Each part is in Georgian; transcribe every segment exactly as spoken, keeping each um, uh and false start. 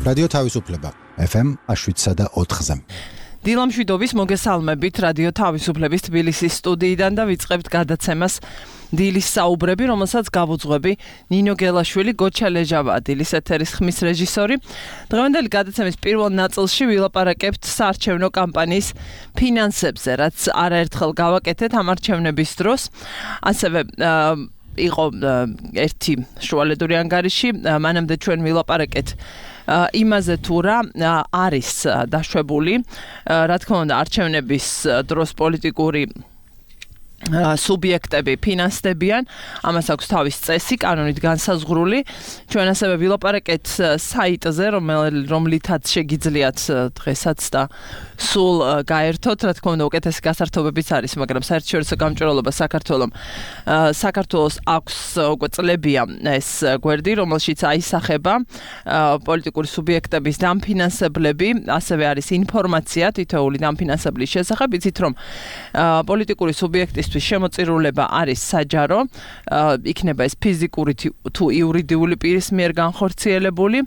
რადიო თავისუფლება ეფ ემ შვიდსა და ოთხზე. დილამშვიდობის მოგესალმებით რადიო თავისუფლების თბილისის სტუდიიდან და ვიწყებთ გადაცემას დილის საუბრები, რომელსაც გავუძღვები ნინო გელაშვილი, გოჩა ლეჟავა, დილის ეთერის ხმის რეჟისორი. დღევანდელი გადაცემის პირველ ნაწილში ვილაპარაკებთ საარჩევნო კამპანიის ფინანსებზე, რაც არაერთხელ გავაკეთეთ ამ არჩევნების დროს. ასევე იყო ერთი შუალედური ანგარიში, მანამდე ჩვენ ვილაპარაკეთ იმაზე თუ რა არის დაშვებული, რა თქმა უნდა, არჩევნების დროს პოლიტიკური სუბიექტები ფინანსდებიან, ამას აქვს თავის წესი, კანონით განსაზღვრული. ჩვენ ასევე ვილაპარაკეთ საიტზე, რომლითაც შეგიძლიათ დღესაც და სულ გაერთოთ, რა თქმა უნდა, უკეთესი გასართობებიც არის, მაგრამ საერთაშორისო გამჭვირვალობა საქართველოს საქართველოს აქვს უკვე წლებია ეს გვერდი, რომელშიც აისახება პოლიტიკური სუბიექტების დამფინანსებლები, ასევე არის ინფორმაცია თითოეული დამფინანსებლის შესახებ, იცით რომ პოლიტიკური სუბიექტის შემოწირულება არის საჯარო, იქნება ეს ფიზიკური თუ იურიდიული პირის მიერ განხორციელებული,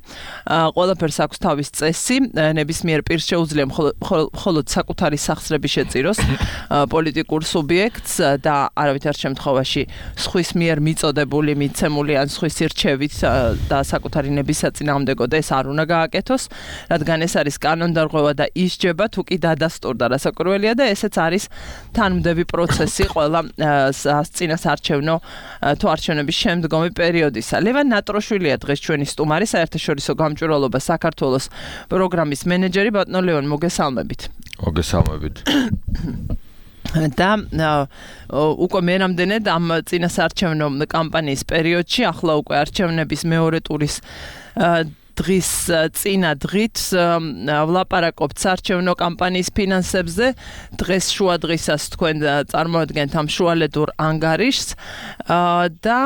ყველაფერს აქვს თავის წესი, ნებისმიერ პირს შეუძლია მხოლოდ საკუთარი სახსრები შეწიროს პოლიტიკურ სუბიექტს და არავითარ შემთხვევაში სხვის მიერ მიწოდებული, მიცემული ან სხვის ირჩევით და საკუთარი ნების საწინააღმდეგოდ ეს არ უნდა გააკეთოს, რადგან ეს არის კანონდარღვევა და ისჯება თუ კი დადასტურდა, რასაკვირველია და ესეც არის თანმდები პროცესი ყველა წინას არჩევნო თუ არჩევნების შემდგომი პერიოდისა. ლევან ნატროშვილია დღეს ჩვენი სტუმარი, საერთაშორისო გამჭვირვალობა საქართველოს პროგრამის მენეჯერი. ბატონო ლევან, მოგესალმებით. მოგესალმებით. და უკვე მერამდენედ ამ წინას არჩევნო კამპანიის პერიოდში, ახლა უკვე არჩევნების მეორე ტურის დღის წინა დღით ვლაპარაკობთ საარჩევნო კამპანიის ფინანსებზე. დღეს შუა დღისას თქვენ წარმოადგენთ ამ შუალედურ ანგარიშს და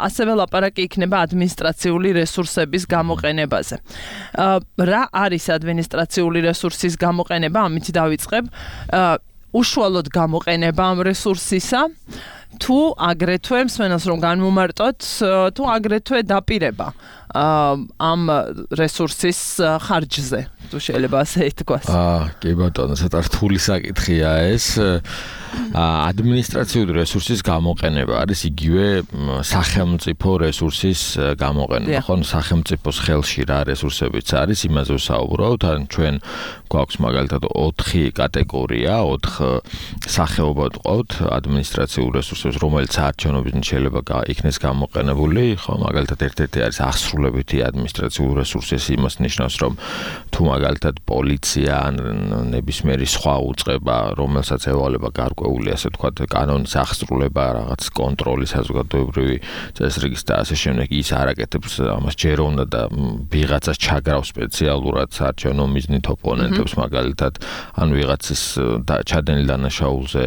ასევე ლაპარაკი იქნება ადმინისტრაციული რესურსების გამოყენებაზე. რა არის ადმინისტრაციული რესურსის გამოყენება? ამით დავიწყებ. უშუალოდ გამოყენება ამ რესურსისა, თუ აგრეთვე მსმენელს რომ განმომარტოთ, თუ აგრეთვე დაპირება ამ რესურსის ხარჯზე, თუ შეიძლება ასე ითქვას. აა, კი ბატონო, ცოტა რთული საკითხია ეს. ადმინისტრაციული რესურსის გამოყენება არის იგივე სახელმწიფო რესურსის გამოყენება. ხო, სახელმწიფოს ხელში რა რესურსებიც არის, იმაზე ვსაუბრობთ. ან ჩვენ გვაქვს მაგალითად ოთხი კატეგორია, ოთხ სახეობა ვყავთ ადმინისტრაციულ რესურსებს, რომელიც საარჩევნოებიდან შეიძლება იქნეს გამოყენებული. ხო, მაგალითად ერთ-ერთი არის აღსრულებითი ადმინისტრაციული რესურსი, იმას ნიშნავს, რომ თუ მაგალითად პოლიცია ან ნებისმიერი სხვა უწყება, რომელსაც ევალება გარკვეული, ასე ვთქვათ, კანონის აღსრულება, რაღაც კონტროლის საზოგადოებრივი წესრიგის და ასე შემდეგ, ის არ აკეთებს ამას, ჯერ უნდა და ვიღაცას ჩაგრავს სპეციალურად საარჩევნო მიზნით ოპონენტებს, მაგალითად, ან ვიღაცის ჩადენილ დანაშაულზე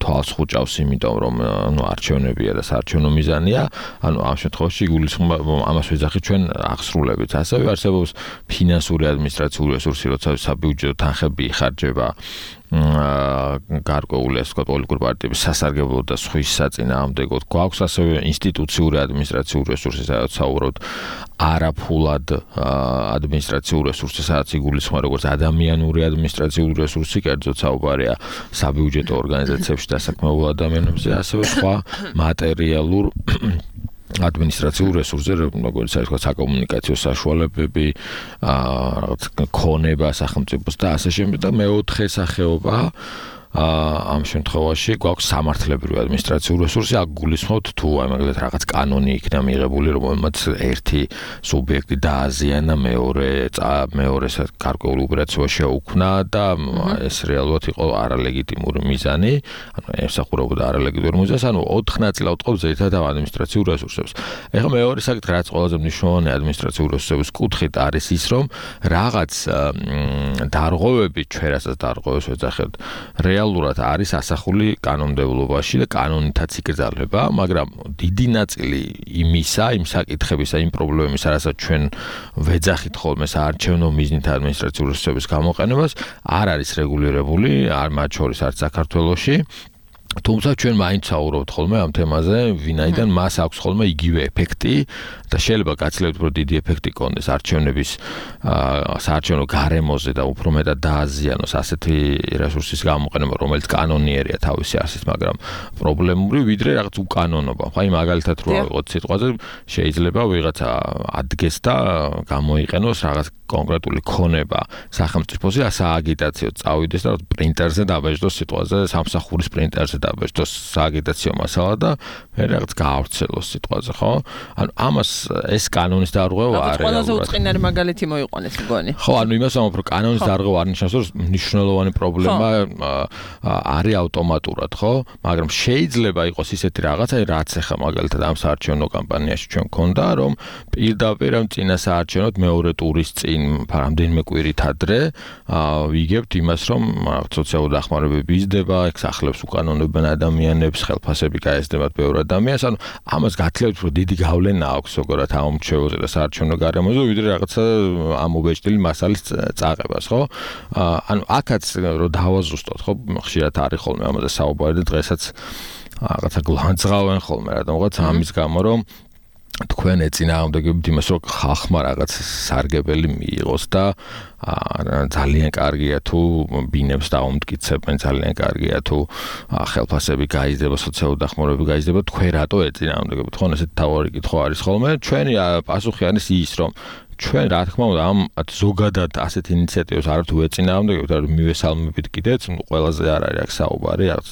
თვალს ხუჭავს, იმიტომ რომ ნუ არჩევნებია და საარჩევნო მიზანია, ანუ ამ შემთხვევაში იგულისხმება ამას ვეძახით ჩვენ აღსრულებით. ასევე არსებობს ფინანსური ადმინისტრაციული რესურსი, როცა საბიუჯეტო თანხები იხარჯება გარკვეული, ასე ვთქვათ, პოლიტიკური პარტიების სასარგებლოდ და სხვის საწინააღმდეგოდ. გვაქვს ასევე ინსტიტუციური ადმინისტრაციული რესურსი, სადაც საუბრობთ არაფულად ადმინისტრაციული რესურსი, სადაც იგულისხმება როგორც ადამიანური ადმინისტრაციული რესურსი, კერძოდ საუბარია საბიუჯეტო ორგანიზაციებში დასაქმებულ ადამიანებზე, ასევე სხვა მატერიალურ ადმინისტრაციულ რესურსზე, როგორც არის თქვა საკომუნიკაციო საშუალებები, რაღაც ქონება სახელმწიფოს და ასე შემდეგ. და მეოთხე სახეობა ამ შემთხვევაში გვაქვს სამართლებრივი ადმინისტრაციული რესურსი, აქ გულისხმობთ თუ აი მაგალითად რაღაც კანონი იქნა მიღებული, რომელმაც ერთი სუბიექტი დააზიანა მეორე მეორეს გარკვეული უპირატესობა შეუქმნა და ეს რეალურად იყო არალეგიტიმური მიზანი, ანუ ემსახურებოდა არალეგიტიმურ მიზანს, ანუ ოთხ ნაწილად ვყავთ ზედმეტად ადმინისტრაციულ რესურსებს. ეხლა მეორე საკითხი, რაც ყველაზე მნიშვნელოვანი ადმინისტრაციული რესურსების კუთხით არის ის, რომ რაღაც დარღვევები, ჩვენ რასაც დარღვევებს ვეძახებთ, რეალურად არის ასახული კანონმდებლობაში და კანონითაც იკრძალება, მაგრამ დიდი ნაწილი იმისა, იმ საკითხებისა, იმ პრობლემებისა, რასაც ჩვენ ვეძახით ხოლმე საარჩევნო მიზნით ადმინისტრაციული რესურსების გამოყენებას, არ არის რეგულირებული, არ მათ შორის არც საქართველოში. თუმცა ჩვენ მაინც საუბრობთ ხოლმე ამ თემაზე, ვინაიდან მას აქვს ხოლმე იგივე ეფექტი და შეიძლება გაცილებით უფრო დიდი ეფექტი კონდეს არჩევნების საარჩევნო გარემოზე და უფრო მეტად დააზიანოს ასეთი რესურსის გამოყენება, რომელიც კანონიერია თავისი არსით, მაგრამ პრობლემური ვიდრე რაღაც უკანონობა. აი მაგალითად რო ავიღოთ სიტყვაზე, შეიძლება ვიღაცა ადგეს და გამოიყენოს რაღაც კონკრეტული ქონება სახელმწიფოზე, ასა აგიტაციო წავიდეს და პრინტერზე დაბეჭდოს სიტყვაზე, სამსახურის პრინტერზე დაბეჭდოს სააგიტაციო მასალა და მე რაღაც გაავრცელოს სიტყვაზე, ხო? ანუ ამას ეს კანონის დარღვევა არის. ყველაზე უწყინარი მაგალითი მოიყვანეს მგონი. ხო, ანუ იმას ამბობ, რომ კანონის დარღვევა არ ნიშნავს, რომ მნიშვნელოვანი პრობლემა არის ავტომატურად, ხო? მაგრამ შეიძლება იყოს ისეთი რაღაცა, რაც ახლა მაგალითად ამ საარჩევნო კამპანიაში ჩვენ გქონდა, რომ პირდაპირ ამ წინა საარჩევნოთ მეორე ტურის წინ რამდენიმე კვირით ადრე ვიგებთ იმას, რომ სოციალური დახმარებები იზრდება, ეგ სახლებს უკანონებენ ადამიანებს, ხელფასები გაეზრდებათ ბევრ ადამიანს, ანუ ამას გათლევთ, რომ დიდი გავლენა აქვს ზოგადად ამ მრჩეველზე და საარჩევნო გარემოზე, ვიდრე რაღაცა ამობეჭდილი მასალის წაყებას, ხო? ანუ აქაც რომ დავაზუსტოთ, ხო, ხშირად არის ხოლმე ამაზე საუბარი და დღესაც რაღაცა გლანძღავენ ხოლმე რადგანაც ამის გამო, რომ თქვენ ეწინააღმდეგებთ იმას, რომ ხალხმა რაღაც სარგებელი მიიღოს და ძალიან კარგია თუ ბინებს დაუმტკიცებენ, ძალიან კარგია თუ ხელფასები გაიზრდება, სოციალური დახმარებები გაიზრდება, თქვენ რატო ეწინააღმდეგებთ? ხო, ესეთი თავარი კითხვა არის ხოლმე. ჩვენი პასუხი არის ის, რომ ჩვენ რა თქმა უნდა ამ ზოგადად ასეთ ინიციატივებს არ თუ ეწინააღმდეგებთ, არ მივესალმებით კიდეც, ყველაზე არ არის აქ საუბარი, რაღაც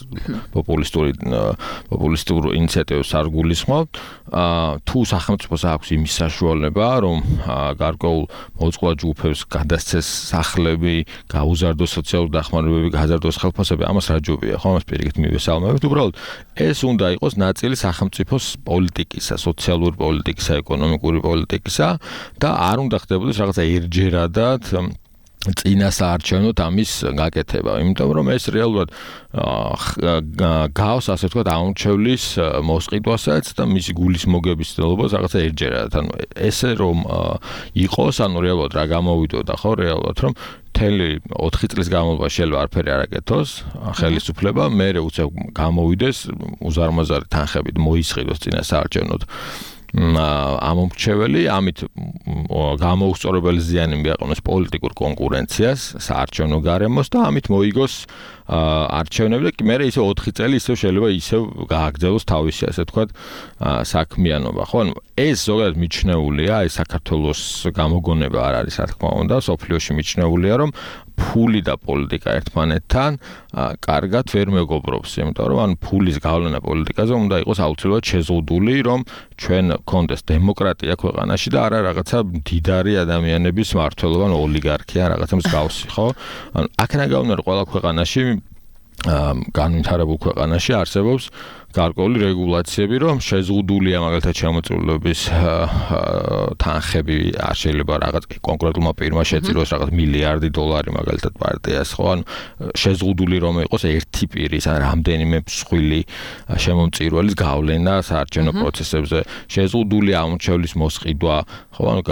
პოპულისტური პოპულისტურ ინიციატივებს არ გულისხმობთ. თუ სახელმწიფოს აქვს იმის საშუალება, რომ გარკვეულ მოწყვლად ჯგუფებს გადასცეს სახლები, გაუზარდოს სოციალური დახმარებები, გაზარდოს ხელფასები, ამას რა ჯობია, ხო, ამას პირიქით მივესალმებით. უბრალოდ ეს უნდა იყოს ნაწილი სახელმწიფოს პოლიტიკისა, სოციალური პოლიტიკისა, ეკონომიკური პოლიტიკისა და არ უნდა ხდებოდეს რაღაცა ერთჯერადად წინა საარჩევნოთ ამის გაკეთება, იმიტომ რომ ეს რეალურად გავს, ასე ვთქვათ, აუმრჩევლის მოსყიდვასაც და მისი გულის მოგების ცდილობას რაღაცა ერთჯერადად. ანუ ესე რომ იყოს, ანუ რეალურად რა გამოვიდოდა, ხო, რეალურად რომ მთელი ოთხი წლის განმავლობაში შეიძლება არაფერი არ აკეთოს, ხელისუფლება, მერე უცებ გამოვიდეს უზარმაზარი თანხებით მოისყიდოს წინა საარჩევნოთ ამომრჩეველი, ამით გამოუსწორებელი ზიანი მიაყენოს პოლიტიკურ კონკურენციას, საარჩევნო გარემოს და ამით მოიგოს არჩევნები და მე ისე ოთხი წელი ისევ შეიძლება ისევ გააგრძელოს თავისი, ასე ვთქვათ, საქმიანობა. ხო, ანუ ეს ზოგადად მიჩნეულია, ეს საქართველოს გამოგონება არ არის, რა თქმა უნდა, სოფლიოში მიჩნეულია, რომ ფული და პოლიტიკა ერთმანეთთან კარგად ვერ მეგობრობს, იმიტომ რომ ან ფულის გავლენა პოლიტიკაზე უნდა იყოს აუცილებლად შეზღუდული, რომ ჩვენ გქონდეს დემოკრატია ქვეყანაში და არა რაღაცა მდიდარი ადამიანების მმართველობა, ან ოლიგარქია, რაღაცა მსგავსი, ხო? ანუ აქედან გავლენა ყველა ქვეყანაში განვითარებულ ქვეყანაში არსებობს გარკვეული რეგულაციები, რომ შეზღუდულია მაგალითად შემოწირულობის თანხები, არ შეიძლება რაღაც კონკრეტულმა პირმა შეწიროს რაღაც მილიარდი დოლარი მაგალითად პარტიას, ხო? ანუ შეზღუდული რომ იყოს ერთი პირის ან რამდენიმე მსხვილი შემომწირულის გავლენა საარჩევნო პროცესებზე, შეზღუდულია ამორჩევლის მოსყიდვა, ხო? ანუ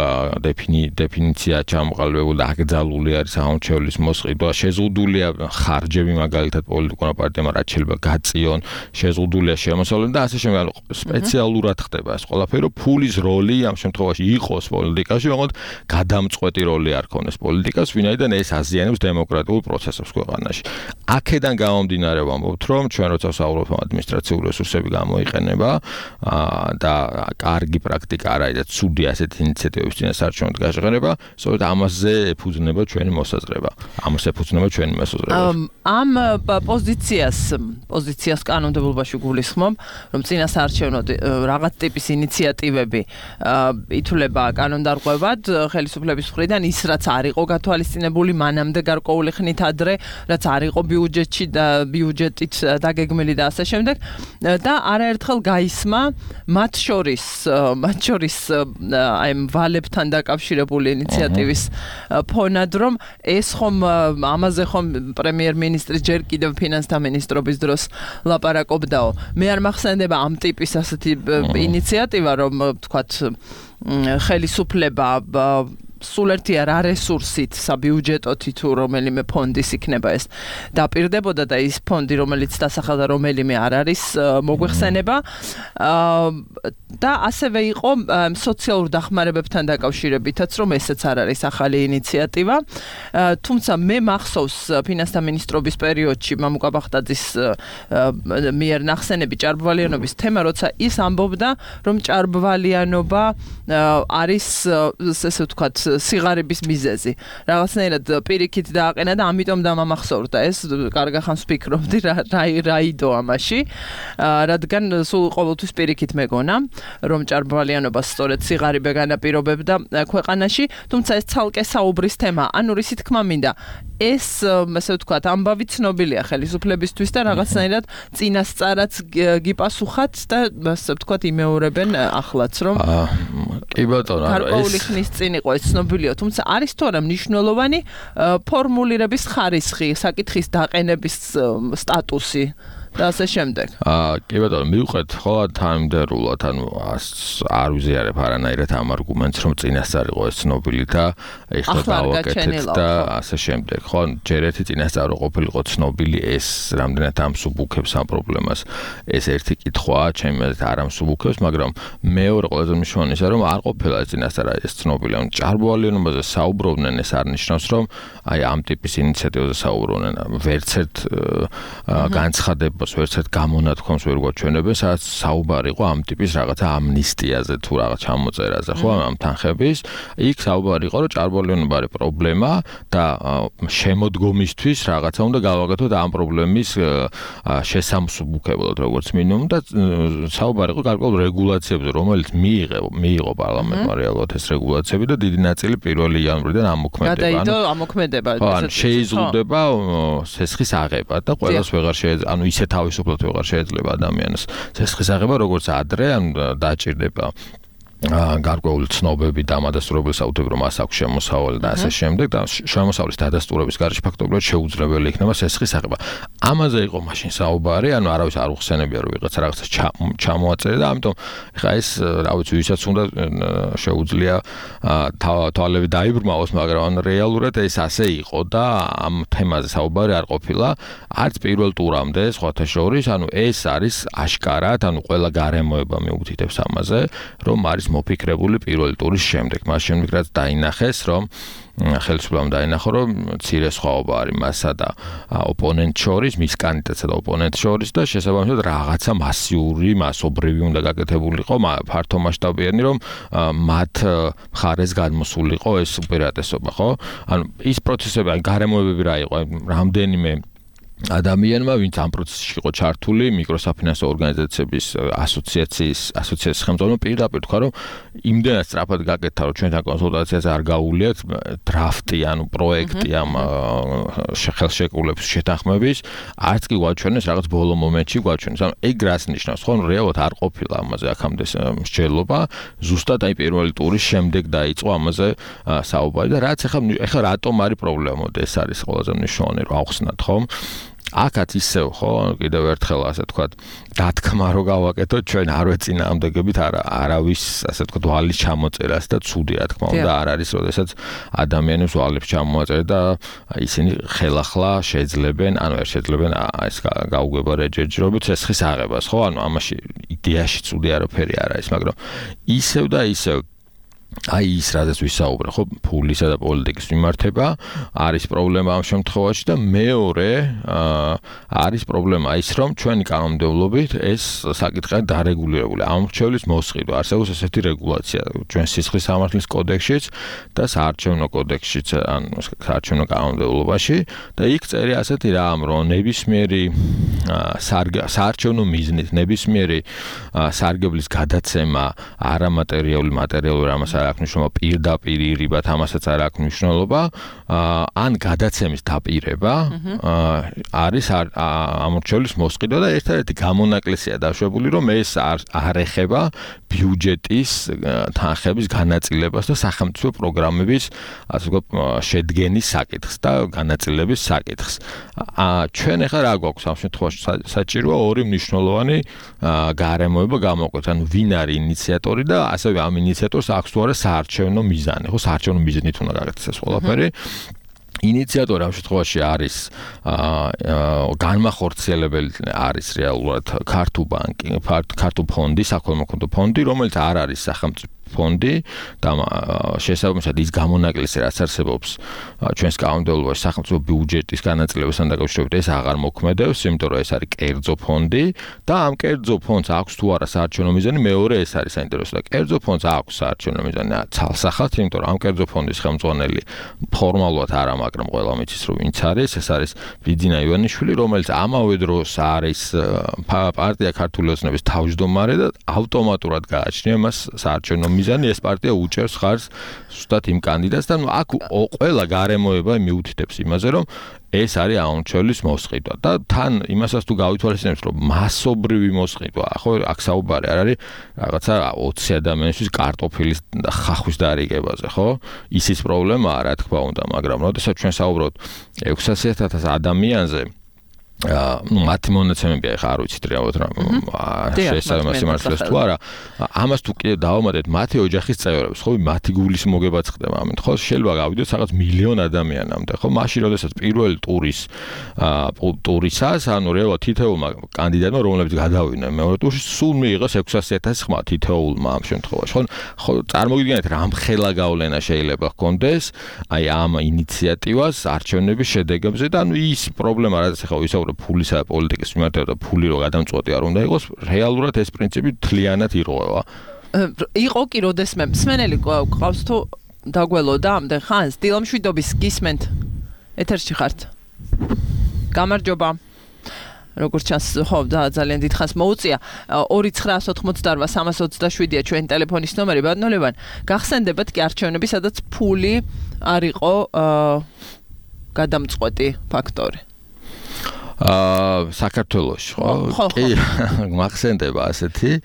დეფინიცია ჩამოყალიბებული და აკრძალული არის ამორჩევლის მოსყიდვა, შეზღუდულია ხარჯები მაგალითად პოლიტიკურმა პარტიამ რაც შეიძლება გაწიონ, შეზღუდულია შემოსავლები და ასე შემდეგ. სპეციალურად ხდება ეს ყველაფერი, რომ ფულის როლი ამ შემთხვევაში იყოს პოლიტიკაში, მაგრამ გადამწყვეტი როლი არ ქონდეს პოლიტიკას, ვინაიდან ეს აზიანებს დემოკრატიულ პროცესებს ქვეყანაში. აქედან გამომდინარე ვამბობთ, რომ ჩვენ როცა ვსაუბრობთ ადმინისტრაციული რესურსები გამოიყენება და კარგი პრაქტიკა არ არის და ცუდი ასეთი ინიციატივების წინასაარჩევნოდ გაჟღერება, სწორედ ამაზე ეფუძნება ჩვენი მოსაზრება. ამას ეფუძნება ჩვენი მოსაზრება. ამ პოზიციას, პოზიციას კანონმდებლობაში გულისხმობ, რომ წინასაარჩევნოდ რაღაც ტიპის ინიციატივები ითვლება კანონდარღვევად ხელისუფლების მხრიდან, ის რაც არ იყო გათვალისწინებული მანამდე გარკვეული ხნით ადრე, რაც არ იყო ბიუჯეტში და ბიუჯეტით დაგეგმილი და ასე შემდეგ და არაერთხელ გაისმა მათ შორის, მათ შორის აი ვალებთან დაკავშირებული ინიციატივის ფონად, რომ ეს ხომ ამაზე ხომ პრემიერ-მინისტრი ჯერ კიდევ ფინანსთა მინისტრობის დროს ლაპარაკობდაო. მე არ მახსენდება ამ ტიპის ასეთი ინიციატივა, რომ თქვათ ხელისუფლება სულ ერთი არა რესურსით, საბიუჯეტოთი თუ რომელიმე ფონდის იქნება ეს დაპირდებოდა და ის ფონდი რომელიც დასახელდა რომელიმე არ არის მოგვეხსენება და ასევე იყო სოციალურ დახმარებებთან დაკავშირებითაც რომ ესეც არ არის ახალი ინიციატივა. თუმცა მე მახსოვს ფინანსთა მინისტრობის პერიოდში მამუკა ბახტაძის მიერ ნახსენები ჭარბვალიანობის თემა, როცა ის ამბობდა, რომ ჭარბვალიანობა არის ესე ვთქვათ სიღარიბის მიზეზი. რაღაცნაირად პირიქით დააყენა და ამიტომ დამამახსოვრდა ეს, კარგა ხანს ვფიქრობდი რა იდო ამაში, რადგან სულ ყოველთვის პირიქით მეგონა, რომ ჭარბვალიანობას სწორედ სიღარიბე განაპირობებდა ქვეყანაში, თუმცა ეს ცალკე საუბრის თემა. ანუ რისი თქმა მინდა, ეს ასე ვთქვათ ამბავი ცნობილია ხელისუფლებისთვის და რაღაცნაირად წინასწარაც გიპასუხათ და ასე ვთქვათ იმეორებენ ახლაც რომ კი ბატონო, გარკვეული ხნის წინ იყო ეს ცნობილია, თუმცა არის თუ არა მნიშვნელოვანი ფორმულირების ხარისხი, საკითხის დაყენების სტატუსი და ასე შემდეგ. აა კი ბატონო, მივყვეთ ხოლმე თანმიმდევრულად, ანუ არ ვიზიარებ არანაირად ამ არგუმენტს, რომ წინასწარ იყო ეს ცნობილი და ეხლა დავაკეთეთ და ასე შემდეგ. ხო, ჯერ ერთი წინასწარ ყოფილიყო ცნობილი, ეს რამდენად ამსუბუქებს ამ პრობლემას. ეს ერთი კითხვაა, ჩემი აზრით არ ამსუბუქებს, მაგრამ მეორე ყველაზე მნიშვნელოვანი ისაა, რომ არ ყოფილა ეს წინასწარ ეს ცნობილი. ანუ ჭარბვალიანობაზე საუბრობდნენ, ეს არ ნიშნავს, რომ აი ამ ტიპის ინიციატივაზე საუბრობდნენ. ვერც ერთ განცხადებას ვერც ერთ გამონათქვამს ვერ გვაჩვენებენ, სადაც საუბარი იყო ამ ტიპის რაღაცა ამნისტიაზე თუ რაღაც ჩამოწერაზე, ხო, ამ თანხების. იქ საუბარი იყო, რომ ჭარბვალიანობა არის პრობლემა და შემოდგომისთვის რაღაცა უნდა გავაკეთოთ ამ პრობლემის შესამსუბუქებლად, როგორც მინიმუმ და საუბარი იყო გარკვეულ რეგულაციებზე, რომელიც მიიღო მიიღო პარლამენტმა რეალურად ეს რეგულაციები და დიდი ნაწილი პირველი იანვრიდან ამოქმედება. გადაიდო ამოქმედება. ანუ შეიზღუდება სესხის აღება და ყველას ვეღარ შეიძლება, ანუ ისე თავისუფლად ვეღარ შეიძლება ადამიანს სესხის აღება, როგორც ადრე, ან დაჭირდება გარკვეული ცნობები და ამადასტურებელ საუთებრო მას აქვს შემოსავალი და ასე შემდეგ და შემოსავლის დადასტურების გარეშე ფაქტობრივად შეუძლებელი იქნება სესხის აღება. ამაზე იყო მაშინ საუბარი, ანუ არავის არ უხსენებია რომ ვიღაცა რაღაცა ჩამოაწერე და ამიტომ ეხლა ეს რა ვიცი ვისაც უნდა შეუძლია თვალები დაიბრმავოს, მაგრამ რეალურად ეს ასე იყო და ამ თემაზე საუბარი არ ყოფილა არც პირველ ტურამდე სხვათა შორის, ანუ ეს არის აშკარად, ანუ ყველა გარემოება მიუთითებს ამაზე, რომ არის მოფიქრებული პირველი ტურის შემდეგ. მას შემდეგ რაც დაინახეს, რომ ხელისუფლებამ დაინახო, რომ მცირე სხვაობა არის მასა და ოპონენტ შორის, მის კანდიდატსა და ოპონენტ შორის და შესაბამისად რაღაცა მასიური, მასობრივი უნდა გაკეთებულიყო, ფართომასშტაბიანი, რომ მათ მხარეს გადმოსულიყო ეს უპირატესობა, ხო? ანუ ის პროცესები, ან გარემოებები რა იყო, რამდენიმე ადამიანმა, ვინც ამ პროცესში იყო ჩართული, მიკროსაფინანსო ორგანიზაციების ასოციაციის ასოციაციის ხელმძღვანელმა პირდაპირ თქვა, რომ იმდენად სწრაფად გაკეთდა, რომ ჩვენთან კონსულტაციაზე არ გაუვლიათ დრაფტი, ანუ პროექტი ამ ხელშეკრულების შეთანხმების, არც კი გვაჩვენეს რაღაც ბოლო მომენტში გვაჩვენეს. ანუ ეგ რას ნიშნავს, ხო? რეალურად არ ყოფილა ამაზე აქამდე მსჯელობა, ზუსტად აი პირველი ტურის შემდეგ დაიწყო ამაზე საუბარი და რაც ახლა ახლა რატომ არის პრობლემა, მოდი ეს არის ყველაზე მნიშვნელოვანი, რომ ავხსნათ, ხო? აქაც ისევ, ხო, კიდევ ერთხელ ასე ვთქვათ, დათქმა რო გავაკეთოთ, ჩვენ არ ვეწინააღმდეგებით არა არავის, ასე ვთქვათ, ვალის ჩამოწერას და ცუდი რა თქმა უნდა არ არის, როდესაც ადამიანებს ვალებს ჩამოაწერენ და ისინი ხელახლა შეძლებენ, ანუ არ შეძლებენ ეს გაუგება რეჯერჯერობით სესხის აღებას, ხო? ანუ ამაში იდეაში ცუდი არაფერი არ არის, მაგრამ ისევ და ისევ აი ის რადგან ვისაუბრე, ხო, ფულისა და პოლიტიკის მიმართება არის პრობლემა ამ შემთხვევაში და მეორე არის პრობლემა ის, რომ ჩვენი კანონმდებლობით ეს საკითხი დარეგულირებული. ამრჩევლის მოსყიდვა, არსებობს ესეთი რეგულაცია ჩვენ სისხლის სამართლის კოდექსშიც და საარჩევნო კოდექსშიც, ან საარჩევნო კანონმდებლობაში და იქ წერია ასეთი რამ, რომ ნებისმიერი საარჩევნო მიზნით, ნებისმიერი სარგებლის გადაცემა არამატერიალური, მატერიალური ამას არ აქვს მნიშვნელობა, პირდაპირ ირიბად ამასაც არ აქვს მნიშვნელობა, ან გადაცემის დაპირება არის ამორჩევლის მოსყიდვა და ერთადერთი გამონაკლისია დაშვებული, რომ ეს არ ეხება ბიუჯეტის თანხების განაწილებას და სახელმწიფო პროგრამების ასე ვთქვათ შედგენის საკითხს და განაწილების საკითხს. ჩვენ ახლა რა გვაქვს ამ შემთხვევაში საჭიროა ორი მნიშვნელოვანი გარემოება გამოვაკვეთ, ანუ ვინ არის ინიციატორი და ასევე ამ ინიციატორს აქვს თუ არა და საარჩევნო მიზანი, ხო, საარჩევნო მიზნით უნდა გაკეთდეს ეს ყველაფერი. ინიციატორი ამ შემთხვევაში არის აა განმახორციელებელი არის რეალურად ქართულ ბანკი, ქართულ ფონდი, საქველმოქმედო ფონდი, რომელიც არ არის სახელმწიფო ფონდი და შესაბამისად ის გამონაკლისი რაც არსებობს ჩვენს კანონმდებლობაში სახელმწიფო ბიუჯეტის განაწილებასთან დაკავშირებით ეს აღარ მოქმედებს, იმიტომ რომ ეს არის კერძო ფონდი და ამ კერძო ფონდს აქვს თუ არა საარჩევნო მიზანი, მეორე ეს არის საინტერესო და კერძო ფონდს აქვს საარჩევნო მიზანი ცალსახად, იმიტომ რომ ამ კერძო ფონდის ხელმძღვანელი ფორმალურად არა, მაგრამ ყველა მიცის რომ ვინც არის, ეს არის ბიძინა ივანიშვილი, რომელიც ამავე დროს არის პარტია ქართული ოცნების თავმჯდომარე და ავტომატურად გააჩნია მას საარჩევნო მიზანი, ეს პარტია უჭერს ხარს ზუსტად იმ კანდიდატს და აქ ყველა გარემოება მიუთითებს იმაზე, რომ ეს არის აუნჩელის მოსყიდვა და თან იმასაც თუ გავითვალისწინებთ, რომ მასობრივი მოსყიდვა, ხო, აქ საუბარი არ არის რაღაცა ოცი ადამიანისთვის კარტოფილის და ხახვის დარიგებაზე, ხო? ისიც პრობლემაა, რა თქმა უნდა, მაგრამ როდესაც ჩვენ საუბრობთ ექვსასი ათას ადამიანზე, აა ნუ მათი მონაცემები ახლა არ ვიცით რეალურად რა შესაბამისი სიმართლეს თუ არა, ამას თუ კიდე დავამატეთ მათი ოჯახის წევრებს, ხო, მათი გულის მოგებაც ხდება ამით, ხო, შეიძლება გავიდოთ რაღაც მილიონ ადამიანამდე, ხო, მაშინ როდესაც პირველი ტურის აა ტურისას, ანუ რეალურად თითოეულმა კანდიდატმა, რომლებიც გადავიდნენ მეორე ტურში, სულ მიიღოს ექვსასი ათასი ხმა თითოეულმა ამ შემთხვევაში, ხო, ხო, წარმოგიდგენთ რამხელა გავლენა შეიძლება ჰქონდეს აი ამ ინიციატივას არჩევნების შედეგებზე და ანუ ის პრობლემა, რაც ახლა ვისაუბრებ ფულისა და პოლიტიკის მიმართება და ფული რო გადამწყვეტი არ უნდა იყოს, რეალურად ეს პრინციპი თლიანად ირღვევა. იყო კი როდესმე მსმენელი ყავს თუ დაგველოდა ამდენ ხანს, დილამშვიდობის გისმენთ. ეთერში ხართ. გამარჯობა. როგორც ჩანს, ხო, ძალიან დიდ ხანს მოუწია. ორი ცხრაას ოთხმოცდაორვა სამას ოცდაშვიდია ჩვენი ტელეფონის ნომერი. ბატონო ლევან, გახსენდებათ კი არჩევნები, სადაც ფული არ იყო გადამწყვეტი ფაქტორი. აა საქართველოში, ხო? კი, მახსენდება ასეთი.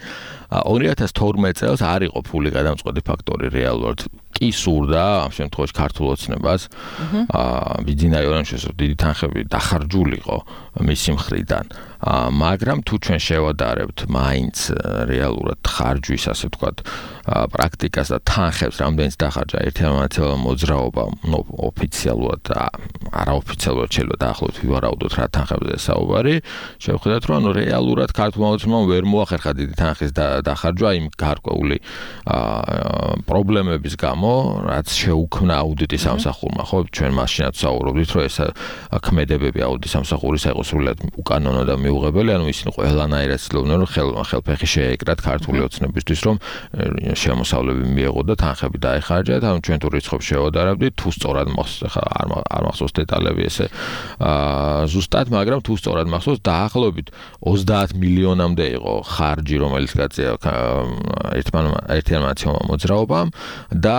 ორი ათას თორმეტ წელს არ იყო ფული გადამწყვეტი ფაქტორი რეალურად. კი სურდა ამ შემთხვევაში ქართულ ოცნებას აა ბიძინა ივანიშვილის დიდი თანხები დახარჯულიყო მისი მხრიდან. მაგრამ თუ ჩვენ შევადარებთ მაინც რეალურად ხარჯვის, ასე ვთქვათ, პრაქტიკას და თანხებს, რამდენიც დახარჯა ერთმანეთმა მოძრაობა, ნუ ოფიციალურად და არაოფიციალურად შეიძლება დაახლოებით ვივარაუდოთ რა თანხებზე საუბარი, შევხედათ, რომ ანუ რეალურად ქართულმა ოცნებამ ვერ მოახერხა დიდი თანხის დახარჯვა იმ გარკვეული პრობლემების გამო, რაც შეუქმნა აუდიტის სამსახურმა, ხო, ჩვენ მაშინაც საუბრობდით, რომ ეს ქმედებები აუდიტის სამსახურისა იყო სრულად უკანონო და მიუღებელი, ანუ ისინი ყველანაირად ცდილობდნენ, რომ ხელფეხი შეეკრათ ქართული ოცნებისთვის, რომ შემოსავლები მიეღო და თანხები დაეხარჯათ, ანუ ჩვენ თუ რიცხვებს შევადარებდით, თუ სწორად მახსოვს, ხა არ მახსოვს დეტალები ესე ზუსტად, მაგრამ თუ სწორად მახსოვს, დაახლოებით ოცდაათ მილიონამდე იყო ხარჯი, რომელიც გაწია ერთმანეთმა მოძრაობამ და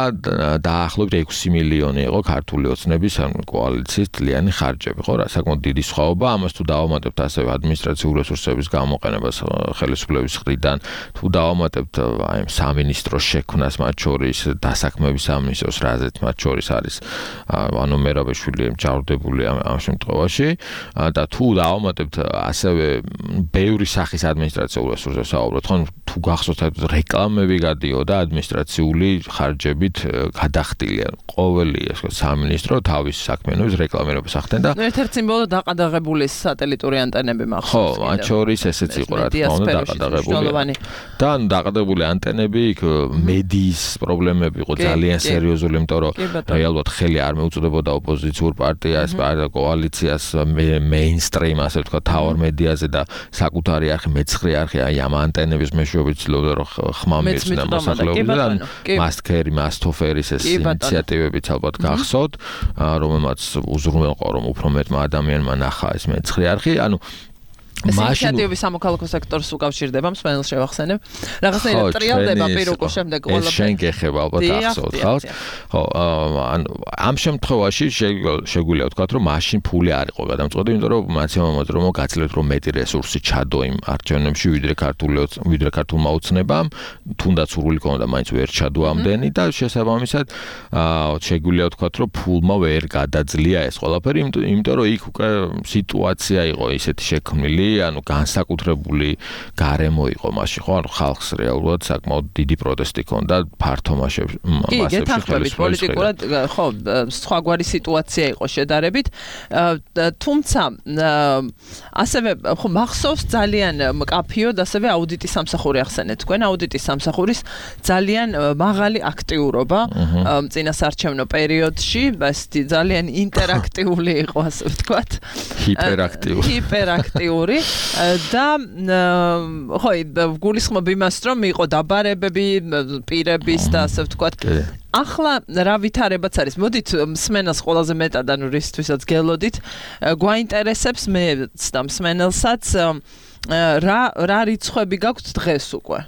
დაახლოებით ექვსი მილიონი იყო ქართული ოცნების კოალიციის თლიანი ხარჯები, ხო, რა საკმაოდ დიდი სხვაობა. ამას თუ დავამატებთ ასევე ადმინისტრაციული რესურსების გამოყენებას ხელისუფლების მხრიდან, თუ დავამატებთ აი სამინისტროს შექმნას, მათ შორის დასაქმების სამინისტროს, რაზეც მათ შორის არის ანუ მერაბეშვილი ჯავრდებული ამ შემთხვევაში და თუ დავამატებთ ასევე ბევრი სახის ადმინისტრაციულ რესურსებს საუბრობთ, ხო, თუ გახსოვთ რეკლამები გადიოდა ადმინისტრაციული ხარჯებით გადახდილი, ყოველი ეს სამინისტრო თავის საქმიანობის რეკლამირებას ახდენდა. ნუ ერთ-ერთ სიმბოლო დაყადაღებული სატელიტური ანტენები მახსოვს. ხო, მათ შორის ესეც იყო რა თქმა უნდა დაყადაღებული. და ანუ დაყადაღებული ანტენები, იქ მედიის პრობლემები იყო ძალიან სერიოზული, იმიტომ რომ რეალურად ხელი არ მეუწოდებოდა ოპოზიციურ პარტიას, კოალიციას, მეინსტრიმ, ასე ვთქვათ, თავარ მედიაზე და საკუთარი არხი, მეცხრე არხი აი ამ ანტენების მეშვეობით ცდილობდა რომ ხმა მიეწვდა მოსახლეობაზე. ანუ მასტქერი, მასტოფერის ეს ინიციატივებიც ალბათ გახსოვთ, რომელმაც უზრუნველყო რომ უფრო მეტმა ადამიანმა ნახა ეს მეცხრე არხი, ანუ მაშინ ინიციატივები სამოქალაქო სექტორს უკავშირდება, მსმენელს შევახსენებ. რაღაცნაირად ტრიალდება პირუკო შემდეგ ყველაფერი. ეს შენ გეხება ალბათ ახსოვთ ხალხს. ხო, ანუ ამ შემთხვევაში შეგვიძლია ვთქვათ, რომ მაშინ ფული არ იყო გადამწყვეტი, იმიტომ რომ მაცემატიკა მოძრაობა გაცილებით რომ მეტი რესურსი ჩადო იმ არჩევნებში, ვიდრე ქართული ვიდრე ქართულმა ოცნებამ, თუნდაც სურვილი ქონდა, მაინც ვერ ჩადო ამდენი და შესაბამისად შეგვიძლია ვთქვათ, რომ ფულმა ვერ გადაძლია ეს ყველაფერი, იმიტომ რომ იქ უკვე სიტუაცია იყო ისეთი შექმნილი ანუ განსაკუთრებული გარემო იყო მაშინ, ხო? ანუ ხალხს რეალურად საკმაოდ დიდი პროტესტი ჰქონდა ფართო მასებში. კი, გეთანხმებით პოლიტიკურად, ხო, სხვაგვარი სიტუაცია იყო შედარებით. თუმცა ასევე ხო მახსოვს ძალიან მკაფიოდ ასევე აუდიტის სამსახური ახსენეთ თქვენ, აუდიტის სამსახურის ძალიან მაღალი აქტიურობა წინასარჩევნო პერიოდში, ეს ძალიან ინტერაქტიული იყო, ასე ვთქვათ. ჰიპერაქტიული. ჰიპერაქტიური და ხო, გულისხმობ იმას, რომ იყო დაბარებები პირების და ასე ვთქვათ. ახლა რა ვითარებაც არის? მოდით მსმენელს ყველაზე მეტად, ანუ რისთვისაც გელოდით, გვაინტერესებს მეც და მსმენელსაც რა რა რიცხვები გაქვთ დღეს უკვე?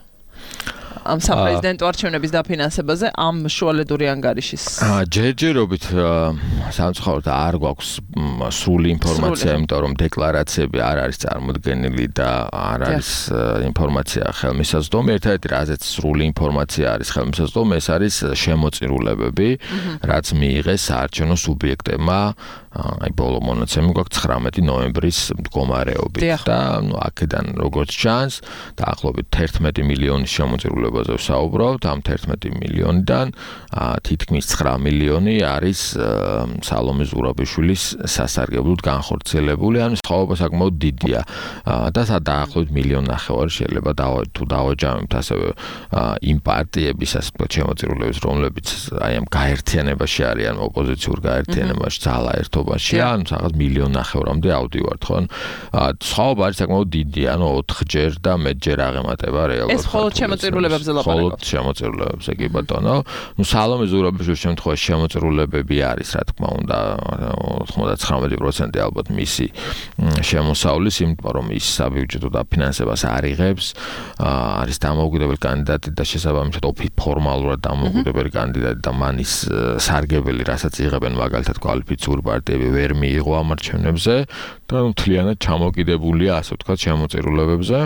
ამ საპრეზიდენტო არჩევნების დაფინანსებაზე ამ შუალედური ანგარიშის. ჯერჯერობით სამწუხაროდ არ გვაქვს სრული ინფორმაცია, იმიტომ რომ დეკლარაციები არ არის წარმოდგენილი და არ არის ინფორმაცია ხელმისაწვდომი. ერთადერთი რაზეც სრული ინფორმაცია არის ხელმისაწვდომი, ეს არის შემოწირულებები, რაც მიიღეს საარჩევნო სუბიექტებმა. აი ბოლო მონაცემი გვაქვს ცხრამეტი ნოემბრის მდგომარეობით და ნუ აქედან როგორც ჩანს, დაახლოებით თერთმეტი მილიონის შემოწირულებაზე ვსაუბრობთ, ამ თერთმეტი მილიონიდან თითქმის ცხრა მილიონი არის სალომე ზურაბიშვილის სასარგებლოდ განხორციელებული, ანუ სხვაობა საკმაოდ დიდია და დაახლოებით მილიონი ნახევარი შეიძლება თუ დავაჯამებთ ასევე იმ პარტიების ასე ვთქვათ შემოწირულების, რომლებიც აი ამ გაერთიანებაში არიან, ოპოზიციურ გაერთიანებაში, ძალა ერთობ ან რაღაც მილიონი ნახევრამდე ავდივართ, ხო? სხვაობა არის საკმაოდ დიდი, ანუ ოთხჯერ და მეტჯერ აღემატება რეალურად. ეს ხოლმე შემოწირულებებზე ლაპარაკობს. ხოლმე შემოწირულებებზე, კი ბატონო. ნუ სალომე ზურაბიშვილის შემთხვევაში შემოწირულებები არის, რა თქმა უნდა, ოცდათხმეტი პროცენტი ალბათ მისი შემოსავლის, იმიტომ რომ ის საბიუჯეტო დაფინანსებას არ იღებს, არის დამოუკიდებელი კანდიდატი და შესაბამისად ფორმალურად დამოუკიდებელი კანდიდატი და მანის სარგებელი, რასაც იღებენ მაგალითად კვალიფიციური პარტიები ვერ მიიღო ამ არჩევნებზე და მთლიანად ჩამოკიდებულია, ასე ვთქვათ, შემოწირულებებზე.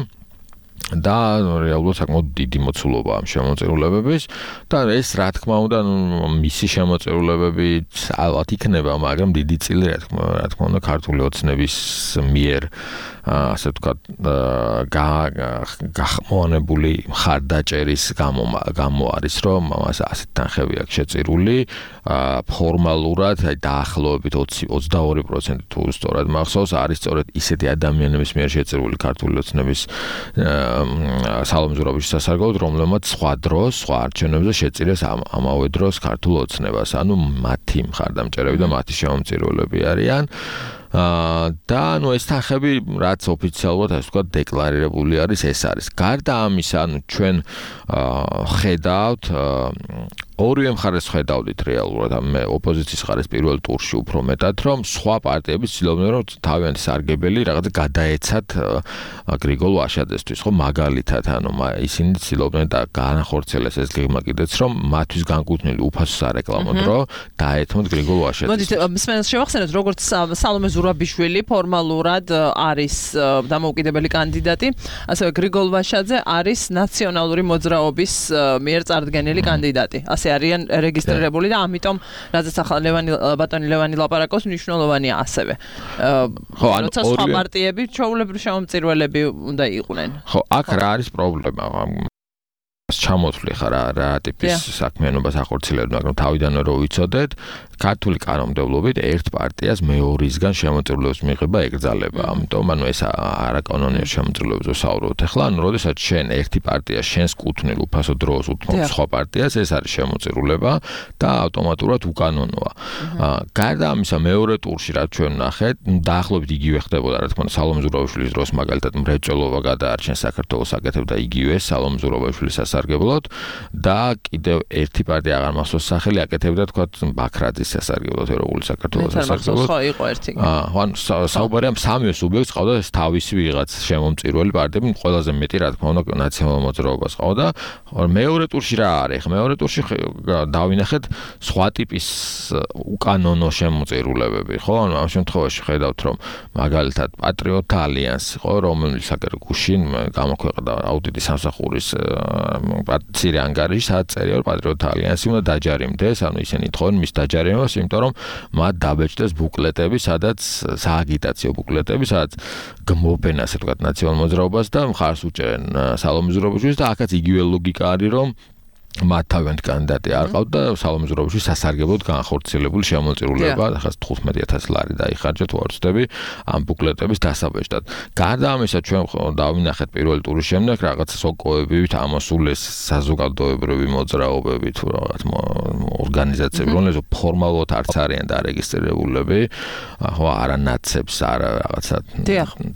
და რეალურად საკმაოდ დიდი მოცულობა ამ შემოწირულებების და ეს რა თქმა უნდა მისი შემოწირულებები ალბათ იქნება, მაგრამ დიდი წილი რა თქმა რა თქმა უნდა ქართული ოცნების მიერ ასე ვთქვათ გახმოვანებული მხარდაჭერის გამო არის, რომ მას ასეთ თანხები აქვს შეწირული ფორმალურად აი დაახლოებით ოცდაორი პროცენტი თუ სწორად მახსოვს არის სწორედ ისეთი ადამიანების მიერ შეწირული ქართული ოცნების სალომე ზურაბიშვილის სასარგებლოდ, რომლებმაც სხვა დროს, სხვა არჩევნებზე შეწირეს ამავე დროს ქართულ ოცნებას, ანუ მათი მხარდამჭერები და მათი შემომწირულები არიან. და ნუ ეს თანხები რაც ოფიციალურად ასე ვთქვათ დეკლარირებული არის, ეს არის. გარდა ამისა, ანუ ჩვენ ხედავთ ორივე მხარეს ხედავდით რეალურად ამ ოპოზიციის მხარეს პირველ ტურში უფრო მეტად, რომ სხვა პარტიები ცდილობდნენ, რომ თავიანთი სარგებელი რაღაცა გადაეცათ გრიგოლ ვაშაძესთვის, ხო, მაგალითად, ანუ ისინი ცდილობდნენ და განახორციელეს ეს გეგმა კიდეც, რომ მათთვის განკუთვნილი უფასო სარეკლამო დრო დაეთმოთ გრიგოლ ვაშაძეს. მოდით მსმენელს შევახსენოთ, როგორც სალომე ზურაბიშვილი ფორმალურად არის დამოუკიდებელი კანდიდატი, ასევე გრიგოლ ვაშაძე არის ნაციონალური მოძრაობის მიერ წარდგენილი კანდიდატი. არიან რეგისტრირებული და ამიტომ რადგან ახლა ლევანი ბატონი ლევანი ლაპარაკობს, მნიშვნელოვანია ასევე. ხო, ანუ სხვა პარტიები ჩვეულებრივ შემომწირველები უნდა იყვნენ. ხო, აქ რა არის პრობლემა? ჩამოთვლი ხარ რა ტიპის საქმიანობას ახორციელებთ, მაგრამ თავიდანვე რო ვიცოდეთ, ქართული კანონმდებლობით ერთ პარტიას მეორისგან შემოწირულების მიღება ეკრძალება. ამიტომ ანუ ეს არაკანონიერ შემოწირულებზე ვსაუბრობთ. ახლა ანუ როდესაც შენ ერთი პარტია შენს კუთვნილ უფასო დროს უთმობს სხვა პარტიას, ეს არის შემოწირულება და ავტომატურად უკანონოა. გარდა ამისა, მეორე ტურში რაც ჩვენ ნახეთ, დაახლოებით იგივე ხდებოდა, რა თქმა უნდა, სალომე ზურაბიშვილის დროს მაგალითად მრეწველობა გადაარჩენს საქართველოს აკეთებდა იგივე სალომე ზურაბიშვილის სასარგებლოდ და კიდევ ერთი პარტია აღარ მახსოვს სახელი აკეთებდა თქვა ბაქრაძის სასარგებლოდ, ეროვნული საქართველოს სასარგებლოდ. ხო, იყო ერთი. აა, ანუ საუბარია სამივე სუბიექტს ყავდა ეს თავისი ვიღაც შემომწირველი პარტიები, ყველაზე მეტი რა თქმა უნდა ნაციონალურ მოძრაობას ყავდა. მეორე ტურში რა არის? მეორე ტურში დავინახეთ სხვა ტიპის უკანონო შემოწირულებები, ხო? ანუ ამ შემთხვევაში ხედავთ, რომ მაგალითად პატრიოტთა ალიანსი, ხო, რომელიც აგერ გუშინ გამოქვეყნდა აუდიტის სამსახურის მცირე ანგარიში, სადაც წერია, რომ პატრიოტთა ალიანსი უნდა დაჯარიმდეს, ანუ ისინი თხოვენ მის დაჯარიმებას, იმიტომ რომ მათ დაბეჭდეს ბუკლეტები, სადაც სააგიტაციო ბუკლეტები, სადაც გმობენ, ასე ვთქვათ, ნაციონალურ მოძრაობას და მხარს უჭერენ სალომე ზურაბაშვილს და აქაც იგივე ლოგიკა არის, რომ მათ თავიანთი კანდიდატი არ ყავთ და სალომე ზურაბაშვილი სასარგებლოდ განხორციელებული შემოწირულება, ახლა თხუთმეტი ათასი ლარი დაიხარჯა თუ არ ვცდები ამ ბუკლეტების დასაბეჭდად. გარდა ამისა, ჩვენ დავინახეთ პირველი ტურის შემდეგ რაღაცა სოკოებით ამოსულეს საზოგადოებრივი მოძრაობები თუ რაღაც ორგანიზაციები, რომლებიც ფორმალურად არც არიან დარეგისტრირებულები, ხო, არანაცებს, არა რაღაცა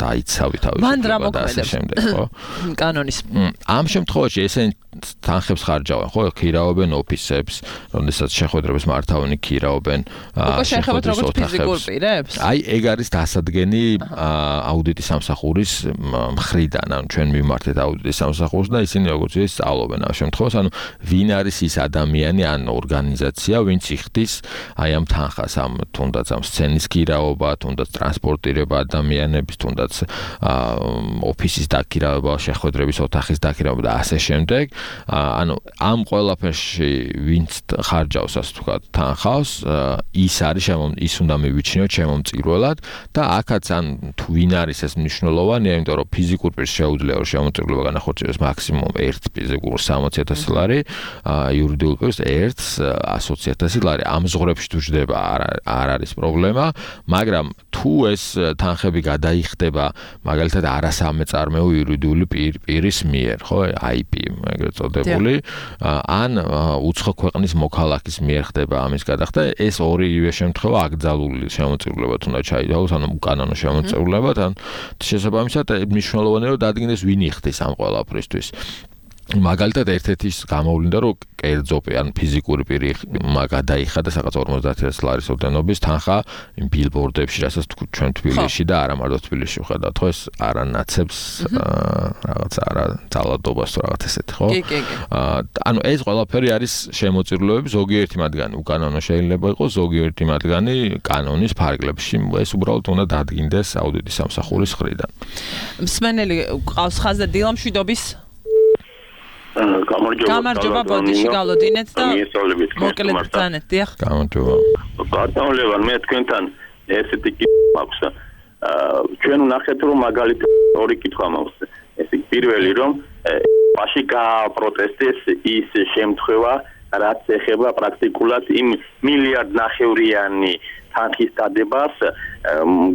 დაიცავი თავისუფლება და ასე შემდეგ, ხო? კანონის. ამ შემთხვევაში ესენი თანხებს ხარჯავენ, ხო, ქირავენ ოფისებს, როდესაც შეხვედრებს მართავენ, ქირავენ შეხვედრების ოთახებს. აი, ეგ არის დასადგენი აუდიტის სამსახურის მხრიდან, ანუ ჩვენ მიმართეთ აუდიტის სამსახურს და ისინი როგორც ის სწავლობენ ამ შემთხვევაში, ანუ ვინ არის ის ადამიანი ან ორგანიზაცია, ვინც იხდის აი ამ თანხას, ამ თუნდაც ამ სცენის ქირაობა, თუნდაც ტრანსპორტირება ადამიანების, თუნდაც ოფისის დაქირავება, შეხვედრების ოთახის დაქირავება და ასე შემდეგ. ანუ ამ ყველაფერში ვინც ხარჯავს, ასე ვთქვათ, თანხავს, ის არის ის უნდა მივიჩნიოთ შემომწირველად და აქაც ან თუ ვინ არის ეს მნიშვნელოვანია, იმიტომ რომ ფიზიკურ პირს შეუძლია რომ შემომწირულობა განახორციელოს მაქსიმუმ ერთ ფიზიკურ სამოცი ათასი ლარი, იურიდიულ პირს ერთ ასოცი ათასი ლარი. ამ ზღვრებში თუ ჯდება არ არის პრობლემა, მაგრამ თუ ეს თანხები გადაიხდება მაგალითად არასამეწარმეო იურიდიული პირის მიერ, ხო, აი პი ეგრეთ წოდებული, ან უცხო ქვეყნის მოქალაქის მიერ ხდება ამის გადახდა, ეს ორივე შემთხვევა აკრძალული შემოწირულობად უნდა ჩაიდაოს, ანუ უკანონო შემოწირულობად, ან შესაბამისად მნიშვნელოვანია რომ დადგინდეს ვინ იხდის ამ ყველაფრისთვის. მაგალითად ერთ-ერთი გამოვლინდა რომ კერძო ან ფიზიკური პირი გადაიხადა რაღაც ორმოცდაათი ათასი ლარის ოდენობის თანხა იმ ბილბორდებში, რასაც ჩვენ თბილისში და არა მარტო თბილისში ვხედავთ, ხო, ეს არანაცებს რაღაც არა ძალადობას თუ რაღაც ესეთი, ხო? კი, კი, კი. ანუ ეს ყველაფერი არის შემოწირულობები, ზოგიერთი მათგანი უკანონო შეიძლება იყოს, ზოგიერთი მათგანი კანონის ფარგლებში. ეს უბრალოდ უნდა დადგინდეს აუდიტის სამსახურის მხრიდან. მსმენელი ყავს ხაზზე დილა მშვიდობის გამარჯობა ბოდიში გავლოდინეთ და მოკლედ ბრძანეთ, დიახ. გამარჯობა. ბატონო, მე თქვენთან ესეთი კითხვა მაქვს. ჩვენ ვნახეთ რომ მაგალითად ორი კითხვა მაქვს. ეს პირველი რომ პაში გაპროტესტეს ის შემთხვევა, რაც ეხება პრაქტიკულად იმ მილიარდ ნახევრიანი თანხის დადებას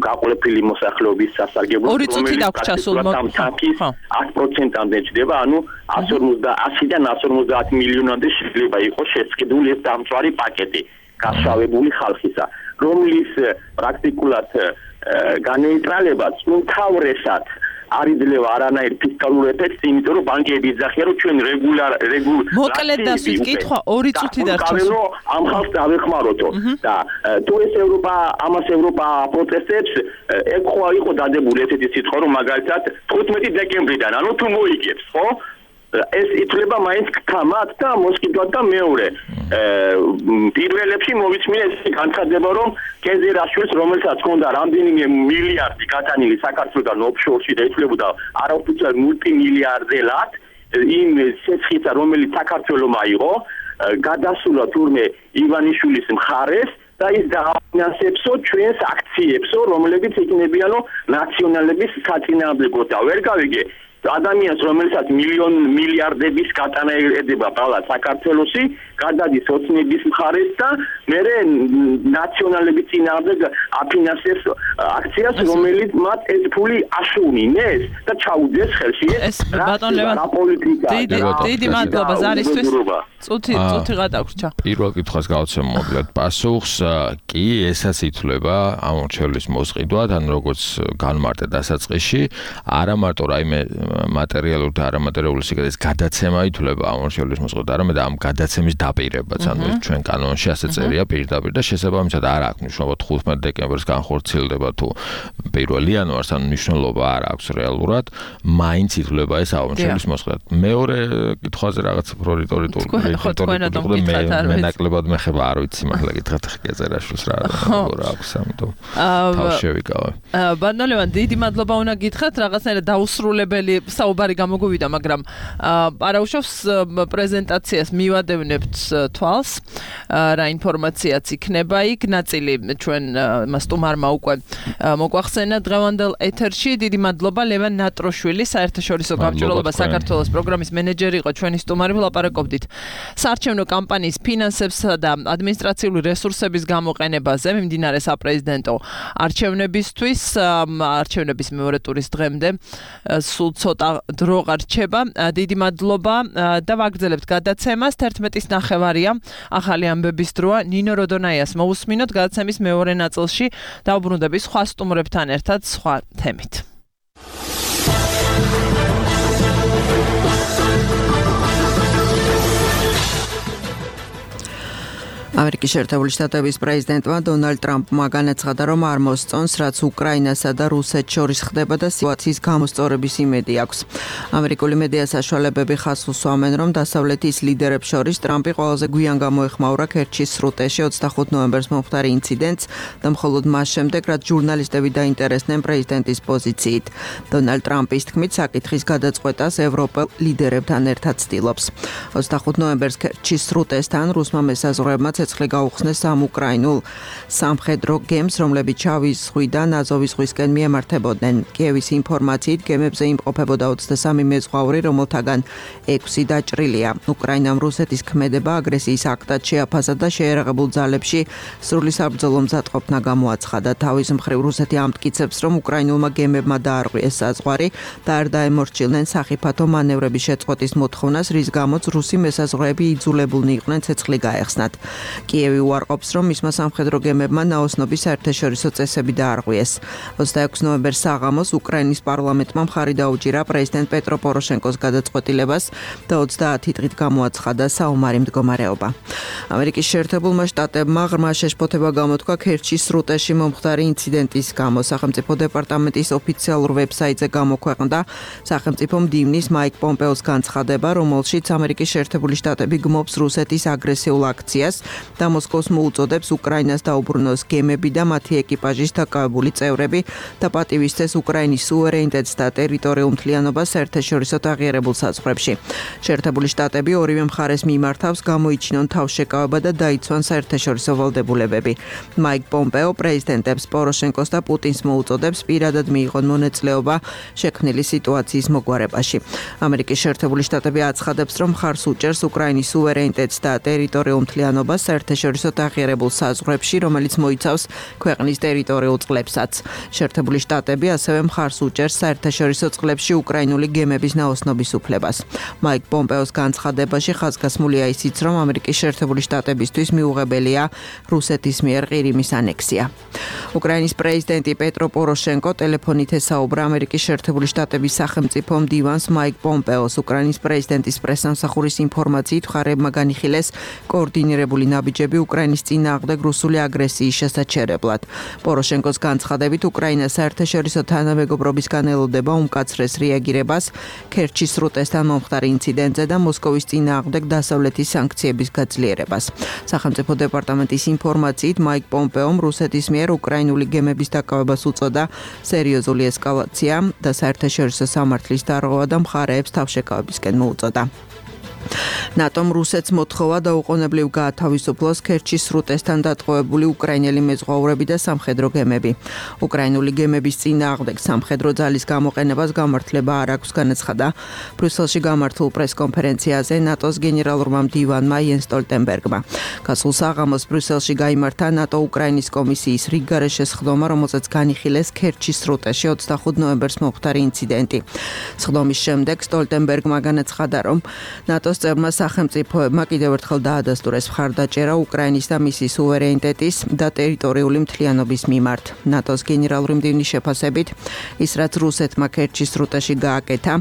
გაყოლებული მოსახლეობის სასარგებლოდ, ორი წუთი დაგვჭა სულ თანხის ათი პროცენტამდე ჯდება, ანუ ასიდან εκατს ორმოცდაათი მილიონამდე შეიძლება იყოს შეწყდული ეს დამწვარი პაკეტი გასავებული ხალხისა, რომლის პრაქტიკულად განეიტრალებაც უმთავრესად არ იძლევა არანაირ ფისკალურ ეფექტს, იმიტომ რომ ბანკები იძახიან, რომ ჩვენ რეგულარ რეგულ მოკლედ დასვით კითხვა ორი წუთი დარჩა. ამ ხალხს დავეხმაროთო და თუ ეს ევროპა ამას ევროპა პროტესტებს, ეგ ხო იყო დადებული ესეთი სიტყვა, რომ მაგალითად თხუთმეტი დეკემბრიდან, ანუ თუ მოიგებს, ხო? ეს ითვლება მაინც კამათ და მოსყიდვად და მეორე. პირველებში მოვიწმინე ეს განცხადება, რომ კეზერაშვილს, რომელსაც ჰქონდა რამდენიმე მილიარდი გატანილი საქართველოსთან ოფშორში და ითვლებოდა არაოფიციალურ მულტიმილიარდელად, იმ შეცხიცა, რომელიც საქართველოს აიღო, გადასულა თურმე ივანიშვილის მხარეს და ის დააფინანსებსო ჩვენს აქციებსო, რომლებიც იქნებიანო ნაციონალების საწინააღმდეგოდ და ვერ გავიგე ადამიანს, რომელსაც მილიონ მილიარდების გატანა ედება ბალა საქართველოსი, გადადის ოცნების მხარეს და მერე ნაციონალების წინააღმდეგ აფინანსებს აქციას, რომელიც მათ ეს ფული აშუვნინეს და ჩაუდეს ხელში ეს ბატონ ლევან დიდი მადლობა ზარისთვის. წუთი წუთი გადაგვრჩა. პირველ კითხვას გავცემ მოკლედ პასუხს, კი, ესაც ითვლება ამორჩევლის მოსყიდვად, ან როგორც განმარტე დასაწყისში, არა მარტო რაიმე მატერიალური და არამატერიალური სიგრძის გადაცემა ითვლება ამორჩევლის მოსყიდვად, არამედ ამ გადაცემის დაპირებაც, ანუ ჩვენ კანონში ასე წერია პირდაპირ და შესაბამისად არ აქვს მნიშვნელობა თხუთმეტი დეკემბერს განხორციელდება თუ პირველი იანვარს, ანუ მნიშვნელობა არ აქვს რეალურად, მაინც ითვლება ეს ამორჩევლის მოსყიდვად. მეორე კითხვაზე რაღაც პრორიტორიტული ხო თქვენად მკითხათ არ მე ნაკლებად მეხება არ ვიცი მართლა გითხრათ ხეკეზერაშვილს რა რა აქვს ამიტომ თავშევიკავე. ბატონ ლევან დიდი მადლობა უნდა გითხრათ, რაღაცნაირად დაუსრულებელი საუბარი გამოგვივიდა, მაგრამ პარაუშავს პრეზენტაციას მივადევნებთ თვალს, რა ინფორმაციაც იქნება იქ, ნაწილი ჩვენ მასტუმარმა უკვე მოგვახსენა დღევანდელ ეთერში. დიდი მადლობა ლევან ნატროშვილი, საერთაშორისო გამჭვირვალობა საქართველოს პროგრამის მენეჯერი იყო ჩვენი სტუმარი. ვლაპარაკობდით საარჩევნო კამპანიის ფინანსებსა და ადმინისტრაციული რესურსების გამოყენებაზე მიმდინარე საპრეზიდენტო არჩევნებისთვის. არჩევნების მეორე ტურის დღემდე სულ ცოტა დრო გარჩება. დიდი მადლობა და ვაგრძელებთ გადაცემას. თერთმეტის ნახევარია ახალი ამბების დროა. ნინო როდონაიას მოусმინოთ გადაცემის მეორე ნაწილში. დავბრუნდები სხვა სტუმრებთან ერთად სხვა თემით. ამერიკის შეერთებული შტატების პრეზიდენტმა დონალდ ტრამპმა განაცხადა, რომ არ მოსწონს, რაც უკრაინასა და რუსეთს შორის ხდება და სიტუაციის გამოსწორების იმედი აქვს. ამერიკული მედია საშუალებები ხაზს უსვამენ, რომ დასავლეთის ლიდერებს შორის ტრამპი ყველაზე გვიან გამოეხმაურა ქერჩის სრუტეში ოცდახუთ ნოემბერს მომხდარი ინციდენტს და მხოლოდ მას შემდეგ, რაც ჟურნალისტები დაინტერესდნენ პრეზიდენტის პოზიციით. დონალდ ტრამპის თქმით, საკითხის გადაწყვეტას ევროპელ ლიდერებთან ერთად ცდილობს. ოცდახუთ ნოემბერს ქერჩის სრუტესთან რუსმა მესაზღვრეებმა ცეცხლი გაუხსნეს სამ უკრაინულ სამხედრო გემს, რომლებიც შავი ზღვიდან აზოვის ზღვისკენ მიემართებოდნენ. კიევის ინფორმაციით, გემებზე იმყოფებოდა ოცდასამი მეზღვაური, რომელთაგან ექვსი დაჭრილია. უკრაინამ რუსეთის ქმედება აგრესიის აქტად შეაფასა და შეერაღებულ ძალებში სრული საბრძოლო მზადყოფნა გამოაცხადა. თავის მხრივ რუსეთი ამტკიცებს, რომ უკრაინულმა გემებმა დაარღვიეს საზღვარი და არ დაემორჩილნენ სახიფათო მანევრების შეწყვეტის მოთხოვნას, რის გამოც რუსი მესაზღვრეები იძულებულნი იყვნენ ცეცხლი გაეხსნათ. კიევი უარყოფს, რომ მისმა სამხედრო გემებმა ნაოსნობის საერთაშორისო წესები დაარღვიეს. ოცდაექვსი ნოემბერს საღამოს უკრაინის პარლამენტმა მხარი დაუჭირა პრეზიდენტ პეტრო პოროშენკოს გადაწყვეტილებას და ოცდაათი დღით გამოაცხადა საომარი მდგომარეობა. ამერიკის შეერთებულმა შტატებმა ღრმა შეშფოთება გამოთქვა ქერჩის სრუტეში მომხდარი ინციდენტის გამო. სახელმწიფო დეპარტამენტის ოფიციალურ ვებსაიტზე გამოქვეყნდა სახელმწიფო მდივნის მაიკ პომპეოს განცხადება, რომელშიც ამერიკის შეერთებული შტატები გმობს რუსეთის აგრესიულ აქციას და მოსკოვს მოუწოდებს უკრაინას დაუბრუნოს გემები და მათი ეკიპაჟის დაკავებული წევრები და პატივისცეს უკრაინის სუვერენიტეტს და ტერიტორიულ მთლიანობას საერთაშორისო აღიარებულ საზღვრებში. შეერთებული შტატები ორივე მხარეს მიმართავს გამოიჩინონ თავშეკავება და დაიცვან საერთაშორისო ვალდებულებები. მაიკ პომპეო პრეზიდენტებს პოროშენკოს და პუტინს მოუწოდებს პირადად მიიღონ მონაწილეობა შექმნილი სიტუაციის მოგვარებაში. ამერიკის შეერთებული შტატები აცხადებს, რომ მხარს უჭერს უკრაინის სუვერენიტეტს და ტერიტორიულ მთლიანობას საერთაშორისო აღიარებულ საზღვრებში, რომელიც მოიცავს ქვეყნის ტერიტორიულ წყლებსაც. შეერთებული შტატები ასევე მხარს უჭერს საერთაშორისო წყლებში უკრაინული გემების ნაოსნობის უფლებას. მაიკ პომპეოს განცხადებაში ხაზგასმულია ისიც, რომ ამერიკის შეერთებული შტატებისთვის მიუღებელია რუსეთის მიერ ყირიმის ანექსია. უკრაინის პრეზიდენტი პეტრო პოროშენკო ტელეფონით ესაუბრა ამერიკის შეერთებული შტატების სახელმწიფო მდივანს მაიკ პომპეოს. უკრაინის პრეზიდენტის პრესამსახურის ინფორმაციით მხარეებმა განიხილეს კოორდინირებული ნაბიჯები უკრაინის წინააღმდეგ რუსული აგრესიის შესაჩერებლად. პოროშენკოს განცხადებით, უკრაინა საერთაშორისო თანამეგობრობისგან ელოდება უმკაცრეს რეაგირებას ქერჩის სრუტესთან მომხდარ ინციდენტზე და მოსკოვის წინააღმდეგ დასავლეთის სანქციების გაძლიერებას. სახელმწიფო დეპარტამენტის ინფორმაციით, მაიკ პომპეომ რუსეთის მიერ უკრაინული გემების დაკავებას უწოდა სერიოზული ესკალაცია და საერთაშორისო სამართლის დარღვევა და მხარეებს თავშეკავებისკენ მოუწოდა. ნატომ რუსეთს მოთხოვა დაუყოვნებლივ გაათავისუფლოს ქერჩის სრუტესთან დატყვევებული უკრაინელი მეზღვაურები და სამხედრო გემები. უკრაინული გემების წინააღმდეგ სამხედრო ძალის გამოყენებას გამართლება არ აქვს, განაცხადა ბრიუსელში გამართულ პრესკონფერენციაზე ნატოს გენერალურმა მდივანმა იენს სტოლტენბერგმა. გასულ საღამოს ბრიუსელში გაიმართა ნატო უკრაინის კომისიის რიგგარეშე სხდომა, რომელზეც განიხილეს ქერჩის სრუტეში ოცდახუთ ნოემბერს მომხდარი ინციდენტი. სხდომის შემდეგ სტოლტენბერგმა განაცხადა, რომ ნატოს წევრმა სახელმწიფოებმა კიდევ ერთხელ დაადასტურეს მხარდაჭერა უკრაინის და მისი სუვერენიტეტის და ტერიტორიული მთლიანობის მიმართ. ნატოს გენერალური მდივნის შეფასებით, ის რაც რუსეთმა ქერჩის სრუტეში გააკეთა,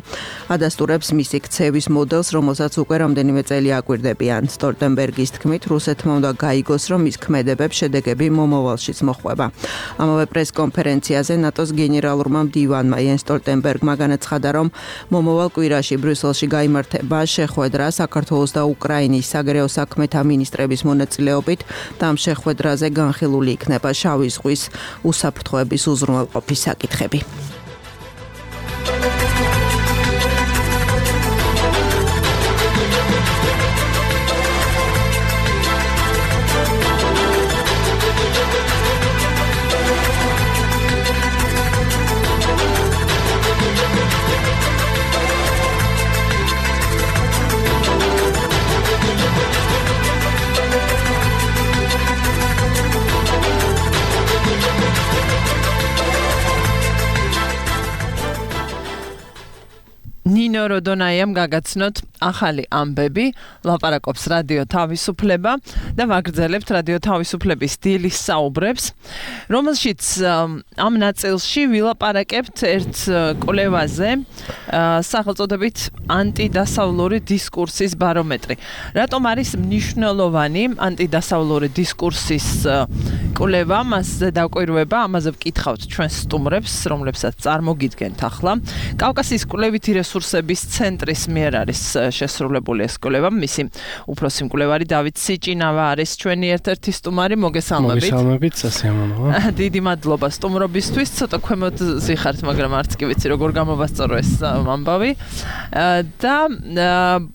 ადასტურებს მისი ქცევის მოდელს, რომელსაც უკვე რამდენიმე წელი აკვირდებიან. სტოლტენბერგის თქმით, რუსეთმა უნდა გაიგოს, რომ მის ქმედებებს შედეგები მომავალშიც მოჰყვება. ამავე პრესკონფერენციაზე ნატოს გენერალურმა მდივანმა იენს სტოლტენბერგმა განაცხადა, რომ მომავალ კვირაში ბრიუსელში გაიმართება შეხვედრა საქართველოს და უკრაინის საგარეო საქმეთა მინისტრების მონაწილეობით და ამ შეხვედრაზე განხილული იქნება შავი ზღვის უსაფრთხოების უზრუნველყოფის საკითხები. ბატონო როდონაიამ გაგაცნოთ ახალი ამბები, ლაპარაკობს რადიო თავისუფლება და ვაგრძელებთ რადიო თავისუფლების დილის საუბრებს, რომელშიც ამ ნაწილში ვილაპარაკებთ ერთ კვლევაზე, სახელწოდებით ანტიდასავლური დისკურსის ბარომეტრი. რატომ არის მნიშვნელოვანი ანტიდასავლური დისკურსის კვლევა, მასზე დაკვირვება, ამაზე ვკითხავთ ჩვენს სტუმრებს, რომლებსაც წარმოგიდგენთ ახლა. კავკასიის კვლევითი რესურსების ცენტრის მიერ არის შესრულებული ეს კვლევა. მისი უფროსი მკვლევარი დავით სიჭინავა არის ჩვენი ერთ-ერთი სტუმარი. მოგესალმებით. მოგესალმებით, სასიამოვნოა. დიდი მადლობა სტუმრობისთვის. ცოტა ქვემოთ ზიხართ, მაგრამ არც კი ვიცი როგორ გამოვასწორო ეს ამბავი. და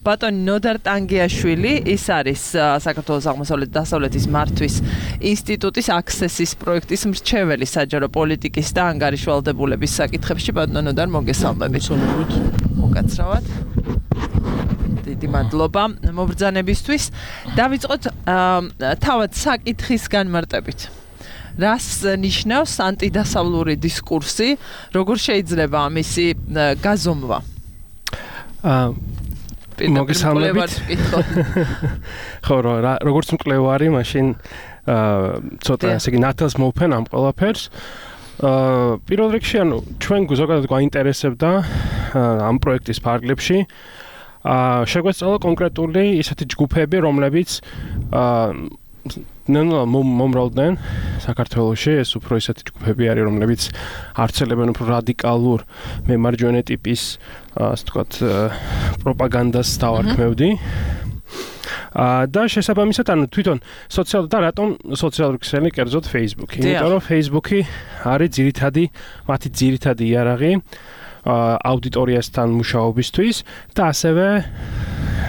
ბატონი ნოდარ ტანგიაშვილი, ის არის საქართველოს აღმოსავლეთ დასავლეთის მართვის ინსტიტუტის აქსესის პროექტის მრჩეველი საჯარო პოლიტიკის და ანგარიშვალდებულების საკითხებში. ბატონო ნოდარ, მოგესალმებით. მოგაცრავად. დიდი მადლობა მობრძანებისთვის. დავიწყოთ თავად საკითხის განმარტებით. რას ნიშნავს ანტიდასავლური დისკურსი? როგორ შეიძლება ამისი გაზომვა? აა მოგესალმებით. ხო, როგორც მკვლევარი, მაშინ ცოტა ესე იგი ნათელს მოვფენ ამ ყველაფერს. აა პირველ რიგში, ანუ ჩვენ ზოგადად გვაინტერესებდა ამ პროექტის ფარგლებში აა შეგვეცალა კონკრეტული ისეთი ჯგუფები, რომლებიც აა ნელა მომრავლდნენ საქართველოში, ეს უფრო ისეთი ჯგუფები არის, რომლებიც არცელებენ უფრო რადიკალურ მემარჯვენე ტიპის ასე ვთქვათ პროპაგანდას დავარქმევდი. აა და შესაბამისად, ანუ თვითონ სოციალ და რატომ სოციალური ქსელი, კერძოდ Facebook-ი? იმიტომ რომ Facebook-ი არის ძირითადი, მათი ძირითადი იარაღი აუდიტორიასთან მუშაობისთვის და ასევე